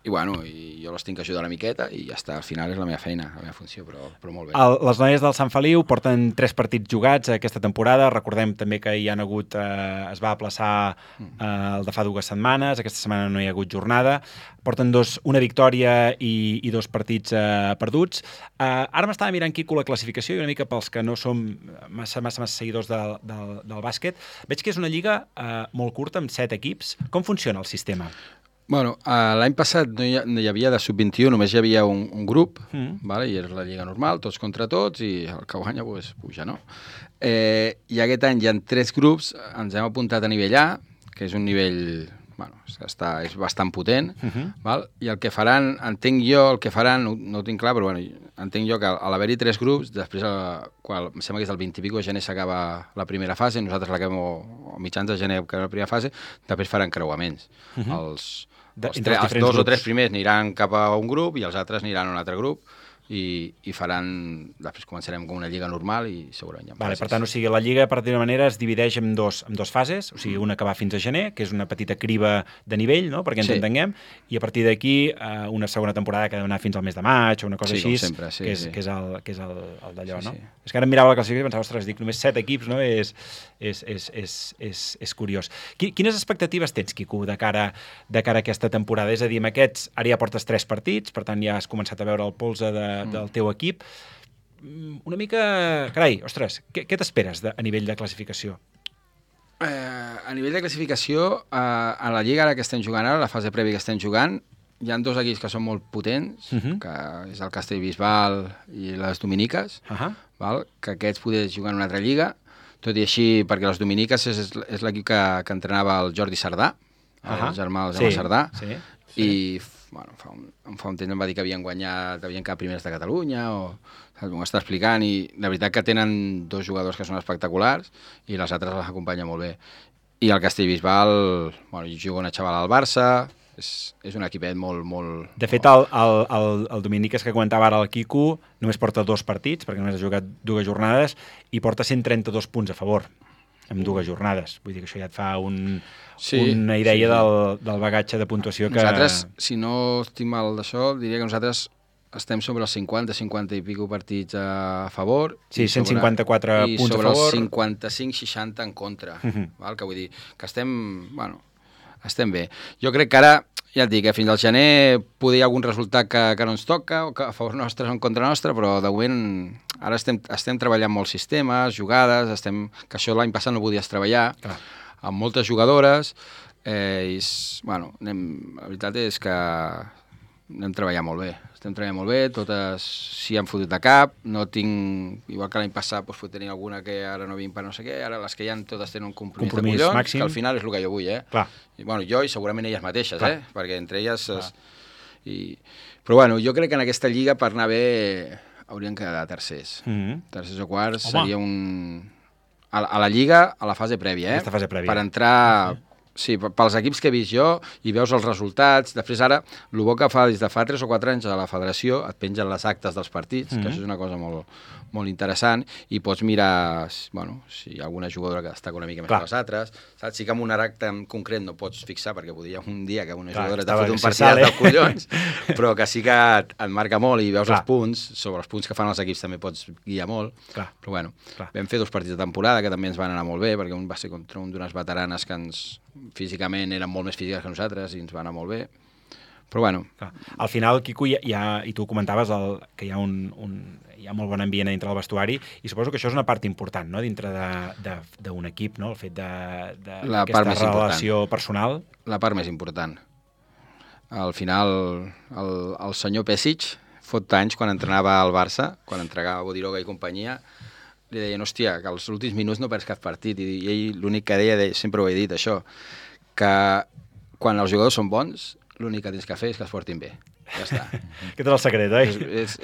jo les tinc que ajudar una miqueta i ja està, al final és la meva feina, la meva funció, però molt bé. Les noies del Sant Feliu porten 3 partits jugats aquesta temporada. Recordem també que hi han hagut, es va aplaçar el de fa 2 setmanes, aquesta setmana no hi ha hagut jornada. Porten una victòria i 2 partits perduts. Ara m'estava mirant, Quico, la classificació i una mica pels que no som massa seguidors del bàsquet. Veig que és una lliga molt curta, amb 7 equips. Com funciona el sistema? Bueno, l'any passat no hi havia de sub-21, només hi havia un grup, vale? I era la lliga normal, tots contra tots, i el que guanya pues, puja, no? I aquest any hi ha 3 grups, ens hem apuntat a nivell A, que és un nivell, bueno, és bastant potent, val? I el que faran, entenc jo, no ho tinc clar, però bueno, entenc jo que a l'haver-hi 3 grups, després, em sembla que és el 20 i pico de gener s'acaba la primera fase, nosaltres l'acabem a mitjans de gener, que és la primera fase, després faran creuaments. Els 2 o 3 primers aniran cap a un grup i els altres aniran a un altre grup i faran, després començarem com una lliga normal i segurament hi ha fases. Per tant, o sigui, la lliga, per dir-ho manera, es divideix en dos fases, o sigui, una que va fins a gener, que és una petita criba de nivell, no?, perquè ens entenguem, i a partir d'aquí una segona temporada que ha d'anar fins al mes de maig o una cosa així, sempre, que és el d'allò, no? És que ara em mirava la classificació i pensava, ostres, dic, només 7 equips, no?, és curiós. Quines expectatives tens, Quico, de cara a aquesta temporada? És a dir, amb aquests, ara ja portes 3 partits, per tant ja has començat a veure el polze del teu equip. Una mica... Carai, ostres, què t'esperes a nivell de classificació? A nivell de classificació, a la lliga ara que estem jugant ara, la fase prèvia que estem jugant, hi ha 2 equips que són molt potents, que és el Castellbisbal i les Dominiques, que aquests poder jugar en una altra lliga, tot i així, perquè les Dominiques és l'equip que entrenava el Jordi Sardà, el germà del Jaume Sardà, i bueno, fa un temps em va dir que havien quedat primers de Catalunya, m'ho està explicant, i la veritat que tenen 2 jugadors que són espectaculars i les altres les acompanya molt bé. I el Castellbisbal, bueno, juga una xavala al Barça, és un equipet molt... De fet, el Dominiques que comentava ara el Quico només porta 2 partits, perquè només ha jugat 2 jornades, i porta 132 punts a favor en 2 jornades. Vull dir que això ja et fa una idea del bagatge de puntuació que... Nosaltres, si no estic mal d'això, diria que nosaltres estem sobre els 50 i pico partits a favor. Sí, 154 punts a favor. I sobre els 55-60 en contra. Que vull dir que estem bé. Jo crec que ara, ja et dic, fins al gener poder hi ha algun resultat que no ens toca, o que a favor nostre o en contra nostre, però de moment ara estem treballant molts sistemes, jugades, que això l'any passat no podies treballar, amb moltes jugadores, la veritat és que anem treballant molt bé. Estem treballant molt bé, totes s'hi han fotut de cap, no tinc, igual que l'any passat tenir alguna que ara no vinc per no sé què, ara les que hi ha totes tenen un compromís de collons, màxim. Que al final és el que jo vull, I, bueno, jo i segurament elles mateixes, perquè entre elles... Però bueno, jo crec que en aquesta lliga per anar bé haurien quedat tercers. Tercers o quarts seria un... A la lliga, a la fase prèvia, Aquesta fase prèvia. Per entrar... Sí, pels equips que he vist jo, i veus els resultats, després ara, el bo que fa des de fa 3 o 4 anys a la federació, et pengen les actes dels partits, que això és una cosa molt interessant, i pots mirar, bueno, si hi ha alguna jugadora que destaca una mica més que les altres, saps? Sí que amb un acte en concret no pots fixar, perquè podria un dia que una jugadora t'ha fet un partit de collons, però que sí que et marca molt i veus els punts, sobre els punts que fan els equips també pots guiar molt, però bueno, vam fer 2 partits de temporada que també ens van anar molt bé, perquè un va ser contra un d'unes veteranes que físicament eren molt més físiques que nosaltres i ens va anar molt bé, però bueno. Al final, Quico, i tu comentaves que hi ha hi ha molt bon ambient dintre del vestuari, i suposo que això és una part important, no?, dintre d'un equip, no?, el fet d'aquesta relació personal. La part més important. Al final, el senyor Pesic, fot anys, quan entrenava al Barça, quan entregava Bodiroga i companyia, li deien, hòstia, que als últims minuts no perds cap partit, i ell l'únic que deia, sempre ho he dit, això, que quan els jugadors són bons, l'únic que tens que fer és que es portin bé. Ja està. Aquest és el secret, oi?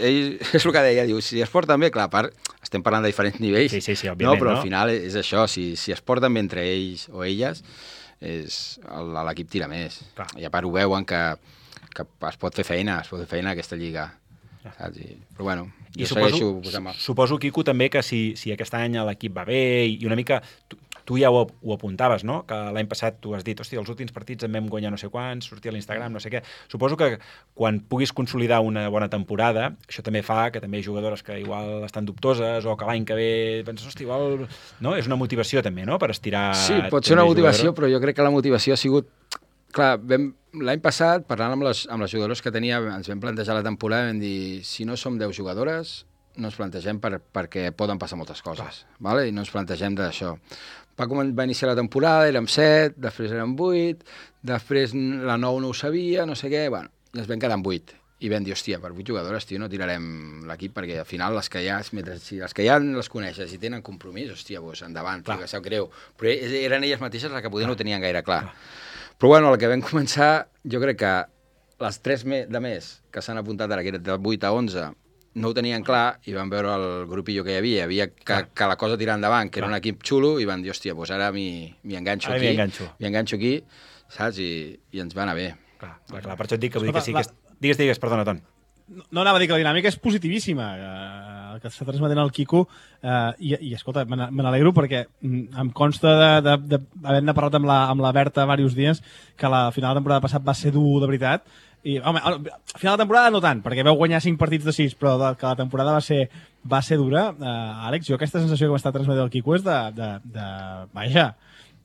Ell és el que deia, diu, si es porten bé, clar, a part, estem parlant de diferents nivells, sí, òbviament, però al final és això, si es porten bé entre ells o elles, l'equip tira més. I a part ho veuen que es pot fer feina, aquesta lliga. saps? Però bueno, I jo segueixo posant mal. suposo, Quico, també que si aquest any l'equip va bé i una mica... Tu ja ho apuntaves, no? Que l'any passat tu has dit, hòstia, els últims partits en vam guanyar no sé quants, sortir a l'Instagram, no sé què. Suposo que quan puguis consolidar una bona temporada, això també fa que també hi ha jugadores que igual estan dubtoses o que l'any que ve penses, hòstia, igual... No? És una motivació també, no?, per estirar... Sí, pot ser una motivació, però jo crec que la motivació ha sigut... Clar, l'any passat, parlant amb les jugadores que tenia, ens vam plantejar la temporada i vam dir, si no som 10 jugadores, no ens plantegem perquè poden passar moltes coses, vale? I no ens plantegem d'això. Va iniciar la temporada, érem 7, després érem 8, després la 9 no ho sabia, no sé què, bueno, i ens vam quedar amb 8. I vam dir, hòstia, per 8 jugadores, tio, no tirarem l'equip, perquè al final les que ja, si les que ja les coneixes i tenen compromís, hòstia, doncs endavant, tio, que sap greu. Però eren elles mateixes les que poder no ho tenien gaire clar. Però bueno, el que vam començar, jo crec que les 3 de més que s'han apuntat ara, que eren de 8 a 11, no ho tenien clar i van veure el grupillo que hi havia que la cosa tirar endavant, que era un equip xulo, i van dir, hòstia, doncs ara m'hi enganxo aquí, saps? I ens va anar bé. Clar, per això et dic que vull dir que sí que... Digues, perdona, Ton. No anava a dir que la dinàmica és positivíssima, el que està transmetent el Quico, i escolta, me n'alegro perquè em consta d'haver-ne parlat amb la Berta diversos dies que la final de temporada passat va ser dur de veritat. I, home, a final de temporada no tant, perquè vau guanyar 5 partits de 6, però que la temporada va ser dura. Àlex, jo aquesta sensació que m'està transmetent el Quico és vaja,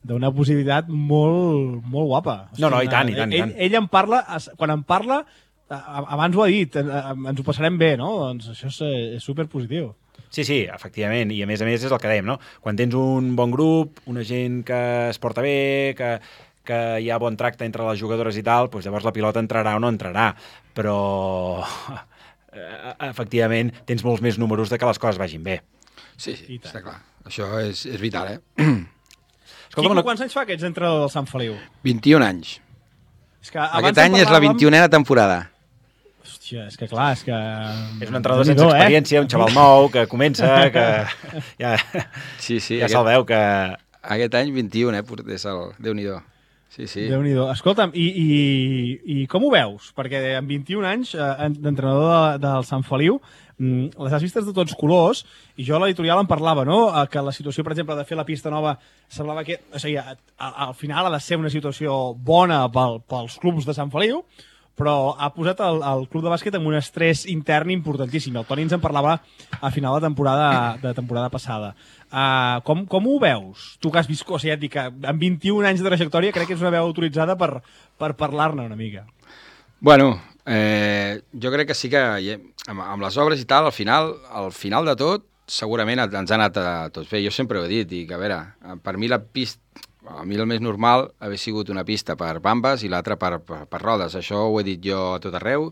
d'una positivitat molt, molt guapa. No, i tant. Ell em parla, quan em parla, abans ho ha dit, ens ho passarem bé, no? Doncs això és superpositiu. Sí, efectivament, i a més és el que dèiem, no? Quan tens un bon grup, una gent que es porta bé, que hi ha bon tracte entre les jugadores i tal, doncs llavors la pilota entrarà o no entrarà, però efectivament tens molts més números de que les coses vagin bé. Sí, està clar. Això és vital, Quico, quants anys fa que ets entrenador del Sant Feliu? 21 anys. Aquest any és la 21a temporada. Hòstia, és que clar, és que... És un entrenador sense experiència, un xaval nou que comença, que ja se'l veu que... Aquest any 21, és el Déu-n'hi-do. Sí. Déu-n'hi-do. Escolta'm, i com ho veus? Perquè amb 21 anys d'entrenador del Sant Feliu, les has vistes de tots colors, i jo a l'editorial em parlava, no?, que la situació, per exemple, de fer la pista nova semblava que, o sigui, al final ha de ser una situació bona pels clubs de Sant Feliu, però ha posat el club de bàsquet amb un estrès intern importantíssim. El Toni ens en parlava a final de temporada passada. Com ho veus? Tu que has viscut, o sigui, et dic que amb 21 anys de trajectòria crec que és una veu autoritzada per parlar-ne una mica. Bueno, jo crec que sí que amb les obres i tal, al final de tot, segurament ens ha anat a tots bé. Jo sempre ho he dit, i que a veure, per mi la pista, a mi el més normal haver sigut una pista per bambes i l'altra per rodes. Això ho he dit jo a tot arreu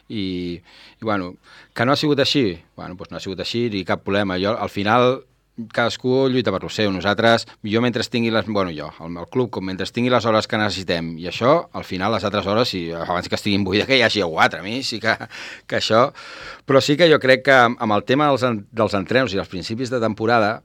i bueno, que no ha sigut així, bueno, doncs no ha sigut així i cap problema. Jo, al final, cadascú lluita per lo seu. Nosaltres, jo mentre tingui el club, com mentre tingui les hores que necessitem, i això, al final, les altres hores, abans que estiguin buides, que hi hagi algú altre, a mi sí que això... Però sí que jo crec que amb el tema dels entrenos i els principis de temporada,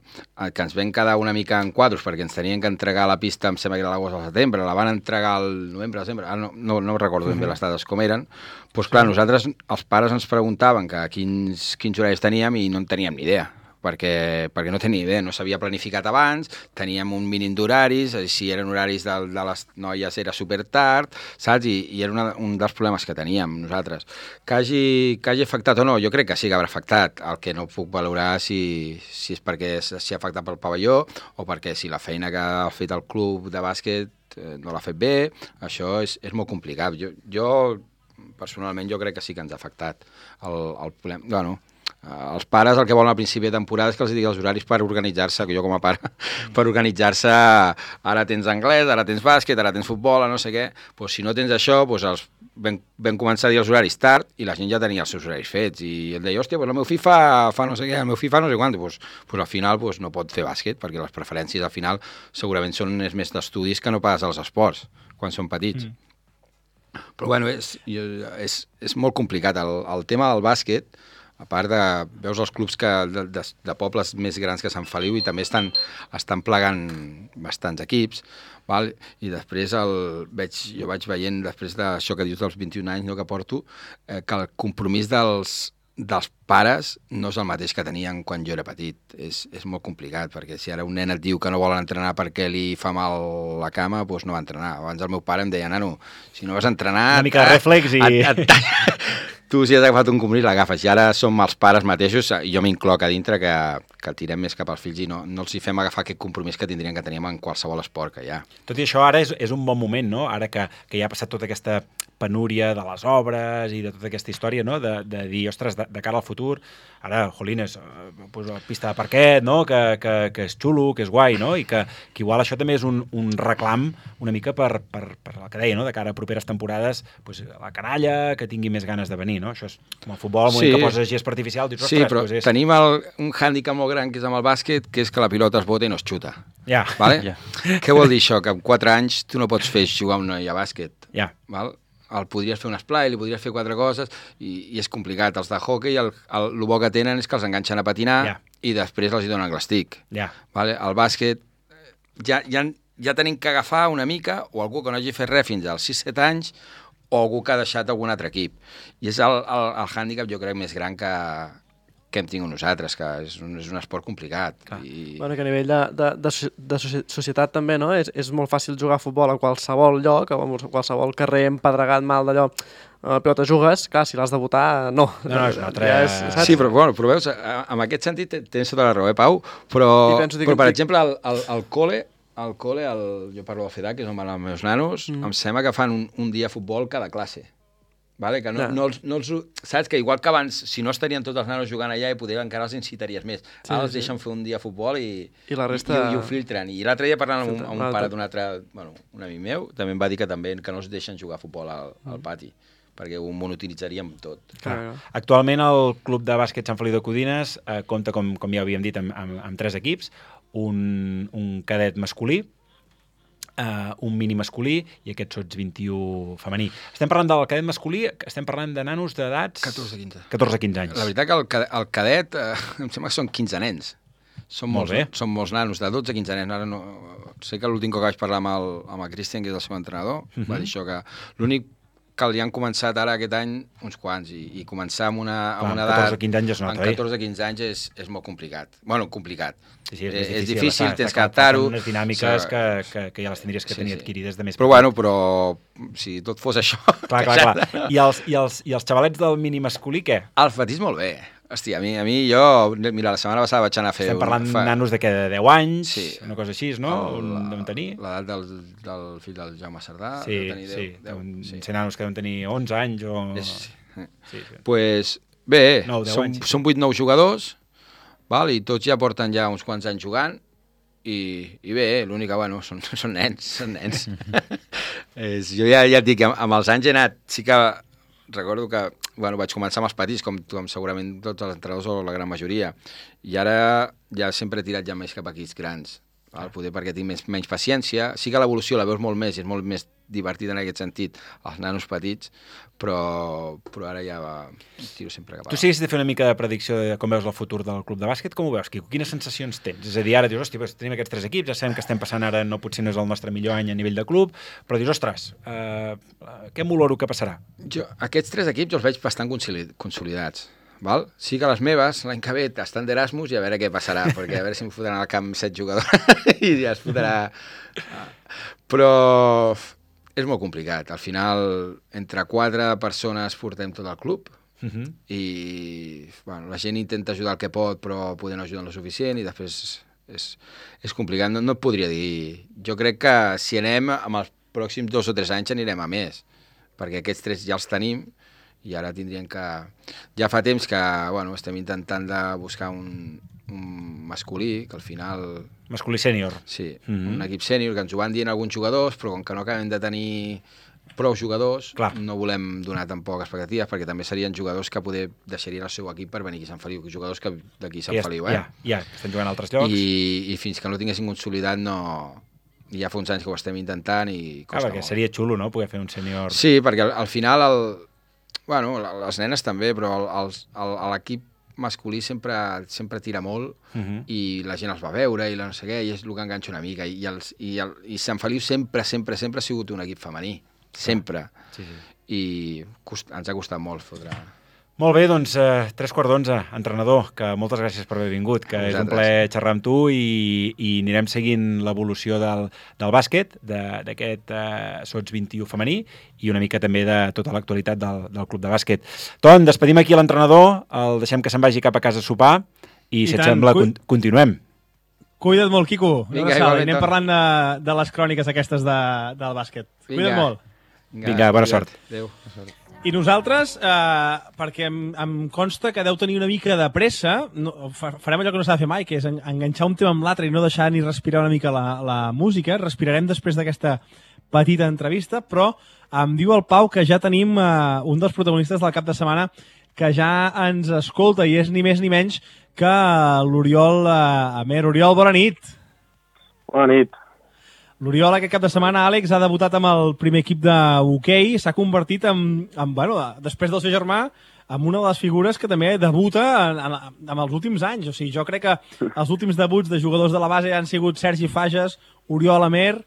que ens vam quedar una mica en quadros, perquè ens tenien que entregar la pista, em sembla que era l'agost o el setembre, la van entregar al novembre, desembre, no recordo ben bé les dades com eren, doncs clar, nosaltres, els pares ens preguntaven quins horaris teníem i no en teníem ni idea. Perquè no tenia idea, no s'havia planificat abans, teníem un mínim d'horaris, si eren horaris de les noies era super tard, saps? I era un dels problemes que teníem nosaltres. Que hagi afectat o no, jo crec que sí que haurà afectat. El que no puc valorar si és perquè s'hi ha afectat pel pavelló o perquè si la feina que ha fet el club de bàsquet no l'ha fet bé, això és molt complicat. Jo personalment, jo crec que sí que ens ha afectat el problema. Bueno, els pares el que volen al principi de temporada és que els digui els horaris per organitzar-se, que jo com a pare, per organitzar-se, ara tens anglès, ara tens bàsquet, ara tens futbol, no sé què, doncs si no tens això, doncs vam començar a dir els horaris tard i la gent ja tenia els seus horaris fets i ell deia, hòstia, doncs el meu fill fa no sé què, el meu fill fa no sé quant, doncs al final no pot fer bàsquet perquè les preferències al final segurament són més d'estudis que no pas als esports quan són petits. Però bueno, és molt complicat el tema del bàsquet. A part veus els clubs de pobles més grans que Sant Feliu i també estan plegant bastants equips, val? I després jo vaig veient, després d'això que dius dels 21 anys que porto, que el compromís dels dels pares no és el mateix que tenien quan jo era petit. És molt complicat, perquè si ara un nen et diu que no vol entrenar perquè li fa mal la cama, doncs no va entrenar. Abans el meu pare em deia, nano, si no vas a entrenar... Una mica de reflex i... Tu, si has agafat un compromís, l'agafes. I ara som els pares mateixos, i jo m'incloc a dintre, que tirem més cap als fills i no els hi fem agafar aquest compromís que tindrien que teníem en qualsevol esport que hi ha. Tot i això, ara és un bon moment, no? Ara que ja ha passat tota aquesta penúria de les obres i de tota aquesta història, no? De dir, ostres, de cara al futur, ara, jolines, pues, pista de parquet, no? Que és xulo, que és guai, no? I que igual això també és un reclam una mica per el que deia, no? De cara a properes temporades, pues, la canalla, que tingui més ganes de venir, no? Això és com el futbol, el moment que poses gespa artificial, dius, ostres, sí, però pues tenim un hàndicap molt gran que és amb el bàsquet, que és que la pilota es bota i no es xuta. Ja. Vale? Què vol dir això? Que amb 4 anys tu no pots fer jugar un noi a bàsquet. Ja. Val? El podries fer un esplai, li podries fer 4 coses, i és complicat. Els de hockey, el bo que tenen és que els enganxen a patinar i després els hi donen l'estic. Vale? El bàsquet ja tenim que agafar una mica, o algú que no hagi fet res fins als 6-7 anys, o algú que ha deixat algun altre equip. I és el hàndicap, jo crec, més gran que hem tingut nosaltres, que és un esport complicat. Bueno, que a nivell de societat també, no? És molt fàcil jugar a futbol a qualsevol lloc, a qualsevol carrer empedregat mal d'allò, però te jugues, clar, si l'has de votar, no. No, és una altra... Sí, però veus, en aquest sentit tens tota la raó, Pau, però per exemple, al col·le, jo parlo del FEDAC, que és on van els meus nanos, em sembla que fan un dia de futbol cada classe. Vale? Que saps que igual que abans, si no estarien tots els nanos jugant allà, i poder encara els incitaries més. Ara els deixen fer un dia de futbol i ho filtren. I l'altre dia parlant amb un pare d'un altre, un amic meu, també em va dir que no els deixen jugar a futbol al pati, perquè ho monotonitzaríem tot. Actualment el Club de Bàsquet Sant Feliu de Codines compta, com ja havíem dit, amb 3 equips, un cadet masculí, un mini masculí i aquest sots 21 femení. Estem parlant del cadet masculí, estem parlant de nanos d'edats... 14-15 anys. La veritat que el cadet, em sembla que són 15 nens. Són molts nanos, de 12 a 15 nens. Ara no, sé que l'últim que vaig parlar amb el Cristian, que és el seu entrenador, va dir això, que l'únic que li han començat ara aquest any uns quants, i començar amb una edat... 14-15 anys es nota, 14-15 anys és molt complicat. Bueno, complicat. Sí, és difícil, tens que adaptar-ho. Unes dinàmiques que ja les tindries que tenir adquirides de més... Però si tot fos això... Clar. I els xavalets del mini masculí, què? El fatís molt bé. Hòstia, a mi jo... Mira, la setmana passada vaig anar a fer... Estem parlant nanos de 10 anys, una cosa així, no? Deuen tenir... L'edat del fill del Jaume Sardà. Deuen ser nanos que deuen tenir 11 anys o... Pues bé, són 8-9 jugadors, i tots ja porten ja uns quants anys jugant, i bé, l'únic que, són nens. Jo ja et dic, amb els anys he anat, sí que recordo que vaig començar amb els petits, com segurament tots els entrenadors o la gran majoria, i ara ja sempre he tirat ja més cap a equips grans, poder perquè tinc menys paciència. Sí que l'evolució la veus molt més, és molt més divertit en aquest sentit, els nanos petits, però ara ja tiro sempre cap a... Tu si haguessis de fer una mica de predicció de com veus el futur del club de bàsquet, com ho veus, Quico? Quines sensacions tens? És a dir, ara dius, hòstia, tenim aquests 3 equips, ja sabem que estem passant ara, potser no és el nostre millor any a nivell de club, però dius, ostres, què m'oloro que passarà? Jo aquests 3 equips els veig bastant consolidats. Val? Sí que les meves, l'any que ve, estan d'Erasmus i a veure què passarà, perquè a veure si em fotran al camp 7 jugadors i ja es fotrà... Però és molt complicat. Al final, entre 4 persones portem tot el club i la gent intenta ajudar el que pot, però poder no ajudar lo suficient i després és complicat. No et podria dir... Jo crec que si anem, amb els pròxims 2 o 3 anys anirem a més, perquè aquests 3 ja els tenim, i ara tindrien que... Ja fa temps que estem intentant de buscar un masculí, que al final... Masculí sènior. Sí, un equip sènior, que ens ho van dient alguns jugadors, però com que no acabem de tenir prou jugadors, no volem donar tampoc expectatives, perquè també serien jugadors que poder deixarien el seu equip per venir aquí a Sant Feliu, jugadors que d'aquí a Sant Feliu. Ja, estan jugant a altres llocs. I fins que no tinguessin consolidat no... Ja fa uns anys que ho estem intentant i costa molt. Perquè seria xulo, no?, poder fer un sènior... Sí, perquè al final les nenes també, però l'equip masculí sempre tira molt i la gent els va veure i no sé què, i és el que enganxa una mica. I Sant Feliu sempre ha sigut un equip femení. Sempre. I ens ha costat molt fotre... Molt bé, doncs 3:15, entrenador, que moltes gràcies per haver vingut, que és un plaer xerrar amb tu i anirem seguint l'evolució del bàsquet, d'aquest Sots 21 femení i una mica també de tota l'actualitat del club de bàsquet. Ton, despedim aquí l'entrenador, el deixem que se'n vagi cap a casa a sopar i si et sembla, continuem. Cuida't molt, Quico. Vinga, anem parlant de les cròniques aquestes del bàsquet. Cuida't molt. Vinga, bona sort. Adéu, bona sort. I nosaltres, perquè em consta que deu tenir una mica de pressa, farem allò que no s'ha de fer mai, que és enganxar un tema amb l'altre i no deixar ni respirar una mica la música. Respirarem després d'aquesta petita entrevista, però em diu el Pau que ja tenim un dels protagonistes del cap de setmana que ja ens escolta i és ni més ni menys que l'Oriol Amer. Oriol, bona nit. Bona nit. L'Oriol aquest cap de setmana, Àlex, ha debutat amb el primer equip d'hoquei, s'ha convertit després del seu germà, en una de les figures que també debuta en els últims anys. O sigui, jo crec que els últims debuts de jugadors de la base han sigut Sergi Fages, Oriol Amer,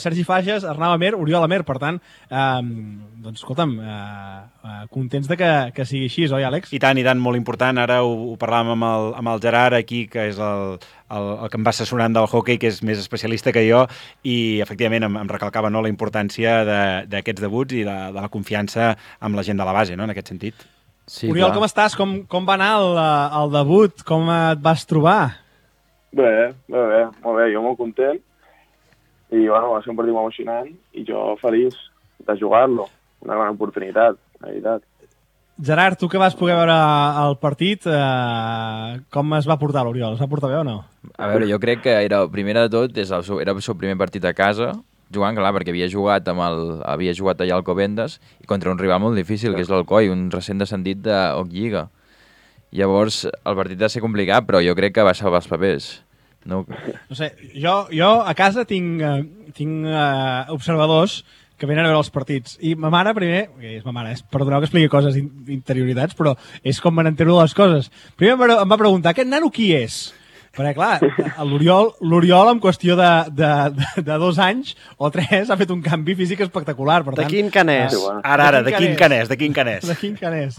Sergi Fages, Arnau Amer, Oriol Amer. Per tant, doncs, escolta'm, contents de que sigui així, oi, Àlex? I tant, molt important. Ara ho parlàvem amb el Gerard aquí, que és el que em va assessorant del hoquei, que és més especialista que jo, i efectivament em recalcava la importància d'aquests debuts i de la confiança amb la gent de la base, no?, en aquest sentit. Sí, Oriol, com estàs? Com va anar el debut? Com et vas trobar? Bé, molt bé, jo molt content. I bueno, va ser un partit molt emocionant i jo feliç de jugar-lo. Una gran oportunitat, la veritat. Gerard, tu que vas poder veure el partit, com es va portar l'Oriol? Es va portar bé o no? A veure, jo crec que primera de tot, era el seu primer partit a casa, jugant, clar, perquè havia jugat allà al Alcobendas i contra un rival molt difícil, que és l'Alcoi, un recent descendit d'Hoc Lliga. Llavors, el partit va ser complicat, però jo crec que va salvar els papers. No sé, jo a casa tinc observadors que venen a veure els partits. I ma mare primer, és ma mare, perdoneu que expliqui coses interioritats, però és com me n'entero de les coses. Primer em va preguntar, aquest nano qui és? Perquè, clar, l'Oriol en qüestió de 2 anys o 3 ha fet un canvi físic espectacular. Per tant, de quin canès? Ara, de quin canès? De quin canès?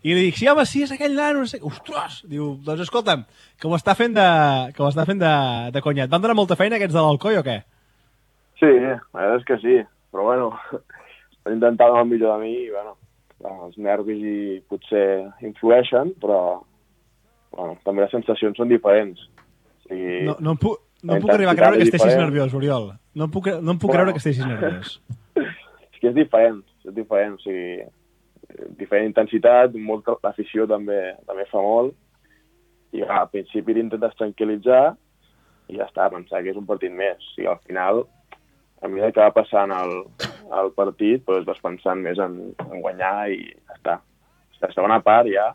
I li dic, sí, home, sí, és aquell nano, no sé. Ostres! Diu, doncs escolta'm, que ho està fent de conyat. Van donar molta feina aquests de l'Alcoi o què? Sí, la veritat és que sí. Però bueno, estan intentant el millor de mi i bueno, els nervis i potser influeixen, però bueno, també les sensacions són diferents. O sigui, no em puc arribar a creure que estiguis nerviós, Oriol. No em puc creure que estiguis nerviós. És que és diferent, o sigui, diferent intensitat, l'afició també fa molt, i al principi t'intentes tranquil·litzar i ja està, pensar que és un partit més. O sigui, al final, a mesura que va passant el partit, doncs vas pensant més en guanyar i ja està. La segona part ja,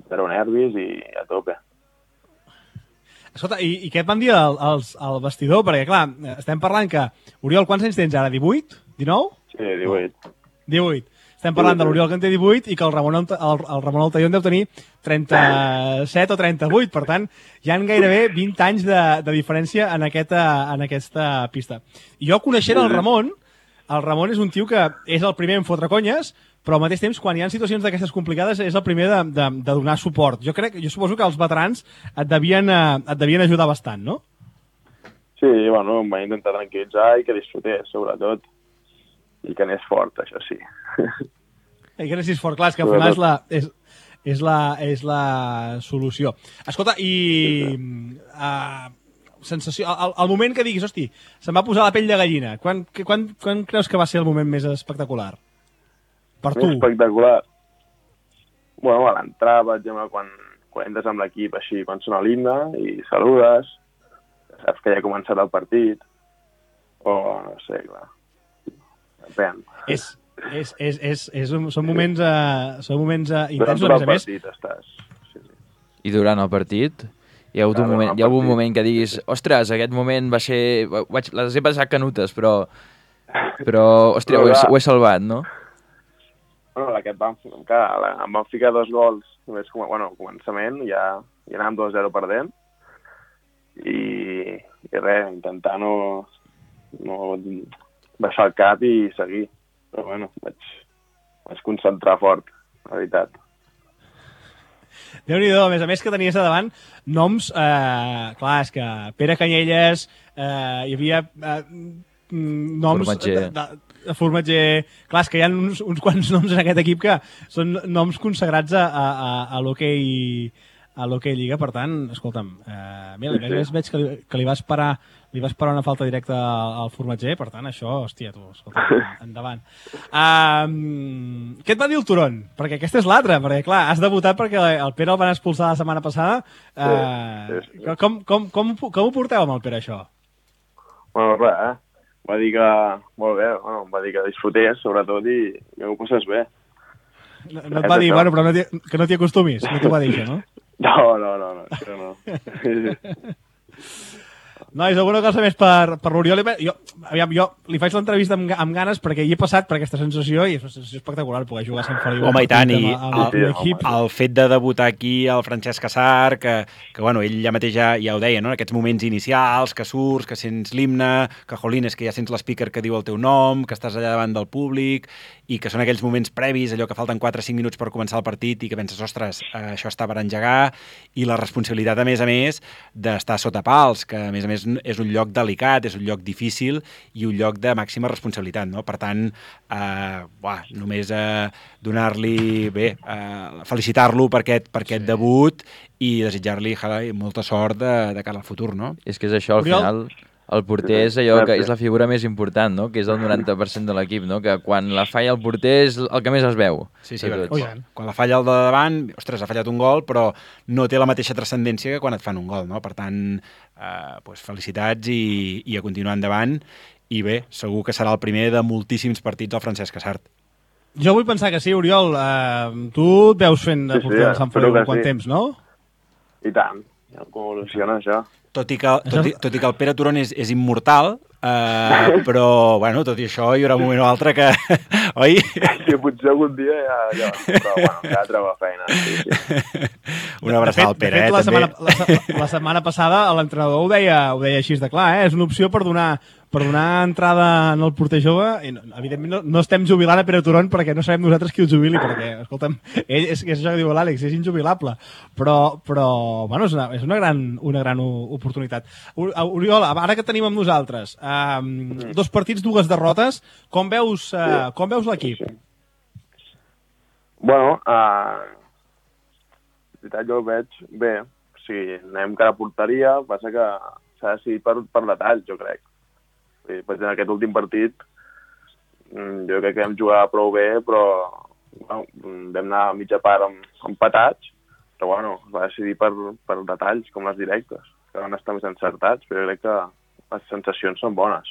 zero nervis i a tope. Escolta, i què et van dir al vestidor? Perquè, clar, estem parlant que... Oriol, quants anys tens ara? 18? 19? Sí, 18. 18. Estem parlant de l'Oriol que en té 18 i que el Ramon Altaió en deu tenir 37 o 38. Per tant, hi ha gairebé 20 anys de diferència en aquesta pista. I jo, coneixent el Ramon és un tio que és el primer en fotre conyes, però al mateix temps, quan hi ha situacions d'aquestes complicades, és el primer de donar suport. Jo suposo que els veterans et devien ajudar bastant, no? Sí, bueno, em va intentar tranquil·litzar i que disfrutés, sobretot. I que anés fort, això sí. I que anessis fort, clar, és que al final és la solució. Escolta, i sensació, el moment que diguis, hosti, se'm va posar la pell de gallina, quan creus que va ser el moment més espectacular? Per tu? Espectacular? Bueno, a l'entrada, per exemple, quan entres amb l'equip així, quan sona l'himne i saludes, saps que ja ha començat el partit, o no sé, clar. Depèn. Són moments intensos, a més. I durant el partit hi ha hagut un moment que diguis, ostres, aquest moment va ser... Les he passat canutes, però ostres, ho he salvat, no? Bueno, em van ficar 2 gols, només al començament, ja anàvem 2-0 perdent, i res, intentar no baixar el cap i seguir. Però bueno, vaig concentrar fort, la veritat. Déu-n'hi-do, a més que tenies a davant noms, clar, és que Pere Canyelles, hi havia noms de Formatger, clar, és que hi ha uns quants noms en aquest equip que són noms consagrats a l'hoquei Lliga, per tant, escolta'm, mira, veig que li vas parar una falta directa al Formatger, per tant, això, hòstia, tu, escolta, endavant. Què et va dir el Turon? Perquè aquesta és l'altra, perquè, clar, has debutat perquè el Pere el van expulsar la setmana passada. Com ho porteu amb el Pere, això? Bueno, res, va dir que, molt bé, bueno, va dir que disfrutés, sobretot, i que ho passes bé. No et va dir, bueno, però que no t'hi acostumis, no t'ho va dir això, no? No, això no. Nois, alguna cosa més per l'Oriol? Jo li faig l'entrevista amb ganes perquè hi he passat per aquesta sensació i és una sensació espectacular poder jugar a Sant Feliu. Home, i tant, i el fet de debutar aquí el Francesc Cassar, que bueno, ell ja mateix ja ho deia, no? Aquests moments inicials, que surts, que sents l'himne, que jolines, que ja sents l'speaker que diu el teu nom, que estàs allà davant del públic, i que són aquells moments previs, allò que falten 4 o 5 minuts per començar el partit i que penses, ostres, això està per engegar, i la responsabilitat, a més, d'estar sota pals, que a més és un lloc delicat, és un lloc difícil i un lloc de màxima responsabilitat, no? Per tant, només donar-li, felicitar-lo per aquest debut i desitjar-li molta sort de cara al futur, no? És que és això, al final, el porter és allò que és la figura més important, no? Que és el 90% de l'equip, no? Que quan la falla el porter és el que més es veu. Sí, quan la falla el de davant, ostres, ha fallat un gol, però no té la mateixa transcendència que quan et fan un gol, no? Per tant, felicitats i a continuar endavant. I bé, segur que serà el primer de moltíssims partits al Francesc Cassart. Jo vull pensar que sí, Oriol. Tu et veus fent de porter del Sant Feliu quant temps, no? I tant, com evoluciona això. Tot i que el Pere Turon és immortal, però, bueno, tot i això hi haurà un moment o altre que... Oi? Sí, potser algun dia ja però, bueno, ja troba feina. Sí. Una abraçada al Pere, també. La setmana passada l'entrenador ho deia així de clar, és una opció per donar entrada en el porter jove, i evidentment no estem jubilant a Pere Turon perquè no sabem nosaltres qui el jubili, perquè, escolta'm, ell és això que diu l'Àlex, és injubilable, però bueno, és una gran oportunitat. Oriol, ara que tenim amb nosaltres, 2 partits, 2 derrotes, com veus l'equip? Bueno, jo ho veig bé, o sigui, anem cara a porteria, passa que s'ha decidit per detall, jo crec. Per exemple, en aquest últim partit jo crec que vam jugar prou bé, però bueno, vam anar a mitja part empatats, però bueno, es va decidir per detalls, com les directes, que van estar més encertats, però jo crec que les sensacions són bones.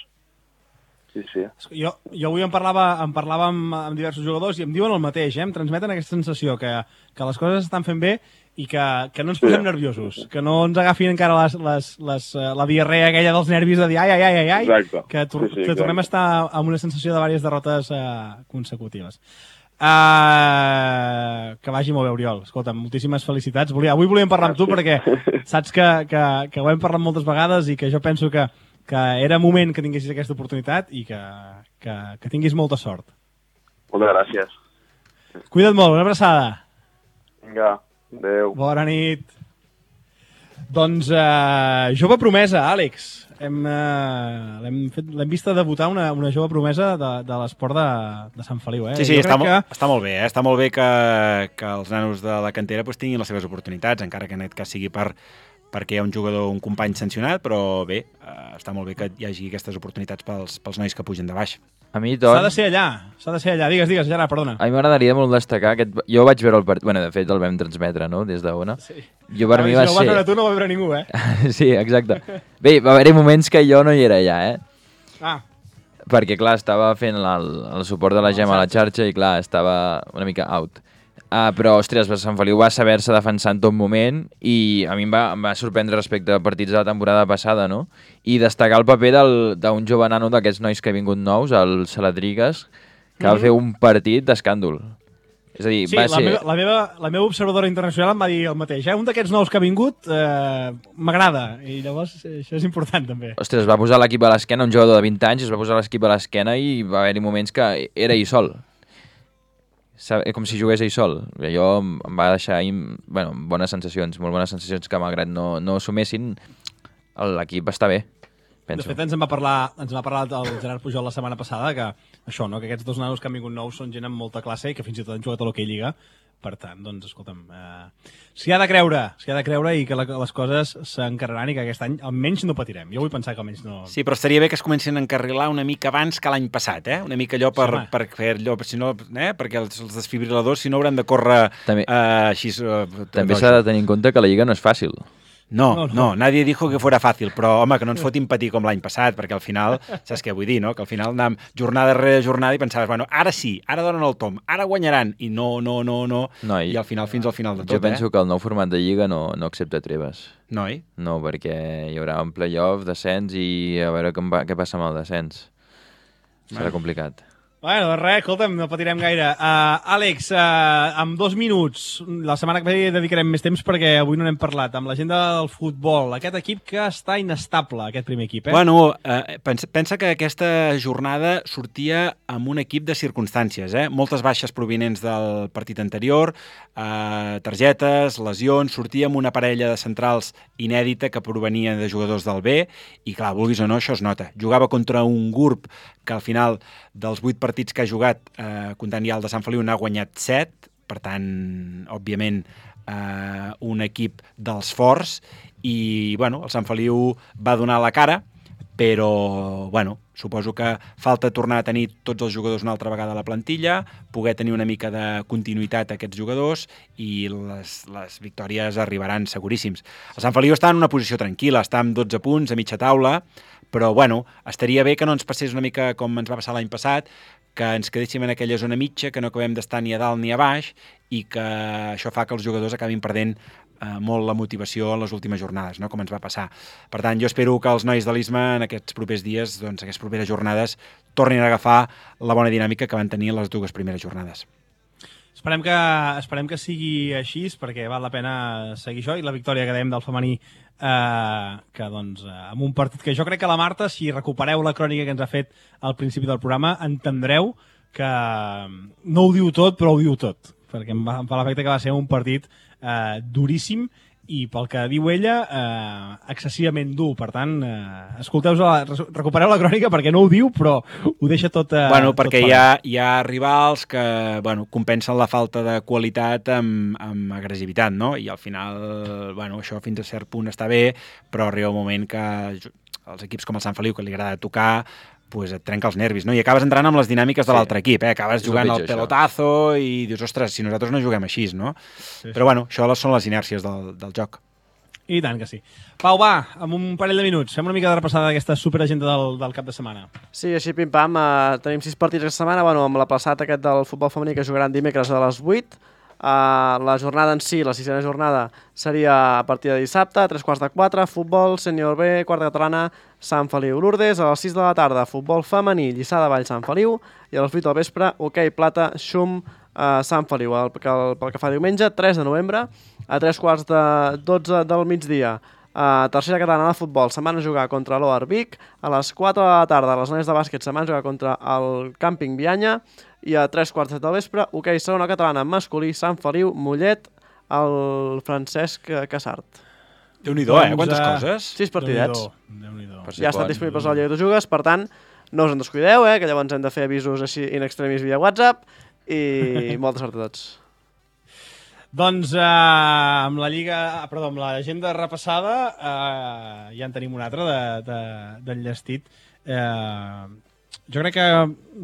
Sí. Jo avui em parlava amb diversos jugadors i em diuen el mateix, em transmeten aquesta sensació que les coses estan fent bé i que no ens posem nerviosos, que no ens agafin encara la diarrea aquella dels nervis de dir ai, que tornem a estar amb una sensació de diverses derrotes consecutives. Que vagi molt bé, Oriol. Escolta, moltíssimes felicitats. Avui volíem parlar amb tu perquè saps que ho hem parlat moltes vegades i que jo penso que era moment que tinguessis aquesta oportunitat i que tinguis molta sort. Moltes gràcies. Cuida't molt, una abraçada. Vinga, adeu. Bona nit. Doncs jove promesa, Àlex. L'hem vista debutar una jove promesa de l'esport de Sant Feliu. Sí, està molt bé. Està molt bé que els nanos de la cantera tinguin les seves oportunitats, encara que en aquest cas sigui perquè hi ha un jugador, un company sancionat, però bé, està molt bé que hi hagi aquestes oportunitats pels nois que pugen de baix. A mi, doncs... S'ha de ser allà. Digues, Gerard, perdona. A mi m'agradaria molt destacar jo vaig veure el partit, bueno, de fet el vam transmetre, no?, des d'Ona. Sí. Jo per mi va ser... Si no ho vas veure tu, no ho va veure ningú, Sí, exacte. Bé, va haver-hi moments que jo no hi era allà, Perquè, clar, estava fent el suport de la Gemma a la xarxa i, clar, estava una mica out. Però, ostres, Sant Feliu va saber-se defensar en tot moment i a mi em va sorprendre respecte a partits de la temporada passada, no? I destacar el paper d'un jove nano d'aquests nois que ha vingut nous, el Saladrigues, que va fer un partit d'escàndol. És a dir, va ser... la meva observadora internacional em va dir el mateix. Un d'aquests nous que ha vingut m'agrada i llavors això és important també. Ostres, va posar l'equip a l'esquena, un jugador de 20 anys, es va posar l'equip a l'esquena i va haver-hi moments que era ell sol. com si jugués ell sol. Allò em va deixar bones sensacions, molt bones sensacions que malgrat no assumessin, l'equip està bé. Penso. De fet, ens en va parlar el Gerard Pujol la setmana passada, que això, no? Que aquests dos nanos que han vingut nous són gent amb molta classe i que fins i tot han jugat a l'Hockey Lliga. Per tant, doncs, escolta'm, s'hi ha de creure i que les coses s'encarreran i que aquest any almenys no patirem. Jo vull pensar que almenys no... Sí, però estaria bé que es comencin a encarrilar una mica abans que l'any passat, Una mica allò per fer allò, si no, perquè els desfibriladors, si no, hauran de córrer així... També s'ha de tenir en compte que la Lliga no és fàcil. No, nadie dijo que fuera fàcil, però, home, que no ens fotin patir com l'any passat, perquè al final, saps què vull dir, no? Que al final anàvem jornada rere jornada i pensaves, bueno, ara sí, ara donen el tom, ara guanyaran, i no, i al final, fins al final de tot, Jo penso que el nou format de Lliga no accepta treves. No, No, perquè hi haurà un play-off, descens, i a veure què passa amb el descens. Serà complicat. Bueno, res, escolta'm, no patirem gaire. Àlex, en 2 minuts, la setmana que ve dedicarem més temps perquè avui no n'hem parlat, amb l'agenda del futbol, aquest equip que està inestable, aquest primer equip, Bueno, pensa que aquesta jornada sortia amb un equip de circumstàncies, Moltes baixes provinents del partit anterior, targetes, lesions, sortia amb una parella de centrals inèdita que provenia de jugadors del B, i clar, vulguis o no, això es nota. Jugava contra un GURB que al final dels 8 partits que ha jugat, comptant ja el de Sant Feliu, n'ha guanyat 7, per tant, òbviament, un equip dels forts, i, bueno, el Sant Feliu va donar la cara, però, bueno, suposo que falta tornar a tenir tots els jugadors una altra vegada a la plantilla, poder tenir una mica de continuïtat a aquests jugadors, i les victòries arribaran seguríssims. El Sant Feliu està en una posició tranquil·la, està amb 12 punts, a mitja taula, però, bueno, estaria bé que no ens passés una mica com ens va passar l'any passat, que ens quedéssim en aquella zona mitja, que no acabem d'estar ni a dalt ni a baix, i que això fa que els jugadors acabin perdent molt la motivació en les últimes jornades, no? Com ens va passar. Per tant, jo espero que els nois de l'Isma en aquests propers dies, doncs aquestes properes jornades, tornin a agafar la bona dinàmica que van tenir les 2 primeres jornades. Esperem que sigui així, perquè val la pena seguir això, i la victòria que dèiem del femení, que doncs, amb un partit que jo crec que la Marta, si recupereu la crònica que ens ha fet al principi del programa, entendreu que no ho diu tot, però ho diu tot, perquè em fa l'efecte que va ser un partit duríssim, i pel que diu ella, excessivament dur. Per tant, recupereu la crònica perquè no ho diu, però ho deixa tot... Bueno, perquè hi ha rivals que compensen la falta de qualitat amb agressivitat, no? I al final, això fins a cert punt està bé, però arriba un moment que els equips com el Sant Feliu, que li agrada tocar, pues et trenca els nervis, no? I acabes entrant amb les dinàmiques de l'altre equip, acabes jugant al pelotazo i dius, ostres, si nosaltres no juguem així, no? Sí. Però bueno, això són les inèrcies del joc. I tant que sí. Pau, va, amb un parell de minuts, fem una mica de repassada d'aquesta superagenda del cap de setmana. Sí, així pim-pam, tenim 6 partits aquesta setmana, amb l'aplaçat aquest del futbol femení que jugaran dimecres a les 8. La jornada en si, la 6a jornada, seria a partir de dissabte, a 3:15, futbol, sènior B, quarta catalana, Sant Feliu Lourdes, a les 6 de la tarda, futbol femení, Lliçà de Vall, Sant Feliu, i a les 8 del vespre, hoquei plata, Xum, Sant Feliu. Pel que fa diumenge, 3 de novembre, a 3:12 del migdia, tercera catalana de futbol, se'n van a jugar contra l'Oar Vic, a les 4 de la tarda, les noies de bàsquet se'n van a jugar contra el Càmping Bianya, i a 3:15 del vespre, hoquei segona catalana masculí, Sant Feliu, Mollet, el Francesc Casart. Déu-n'hi-do, quantes coses? 6 partidets. Déu-n'hi-do. Ja estan disponibles al Lliga de Jugues, per tant, no us en descuideu, que llavors hem de fer avisos així in extremis via WhatsApp, i molta sort a tots. Doncs amb l'agenda repassada ja en tenim una altra d'enllestit. Jo crec que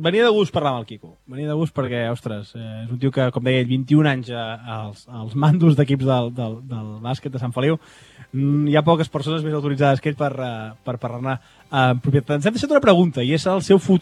venia de gust parlar amb el Quico. Venia de gust perquè, ostres, és un tio que, com deia, 21 anys als mandos d'equips del bàsquet de Sant Feliu. Hi ha poques persones més autoritzades que ell per parlar-ne en propietat. Ens hem deixat una pregunta, i és el seu futur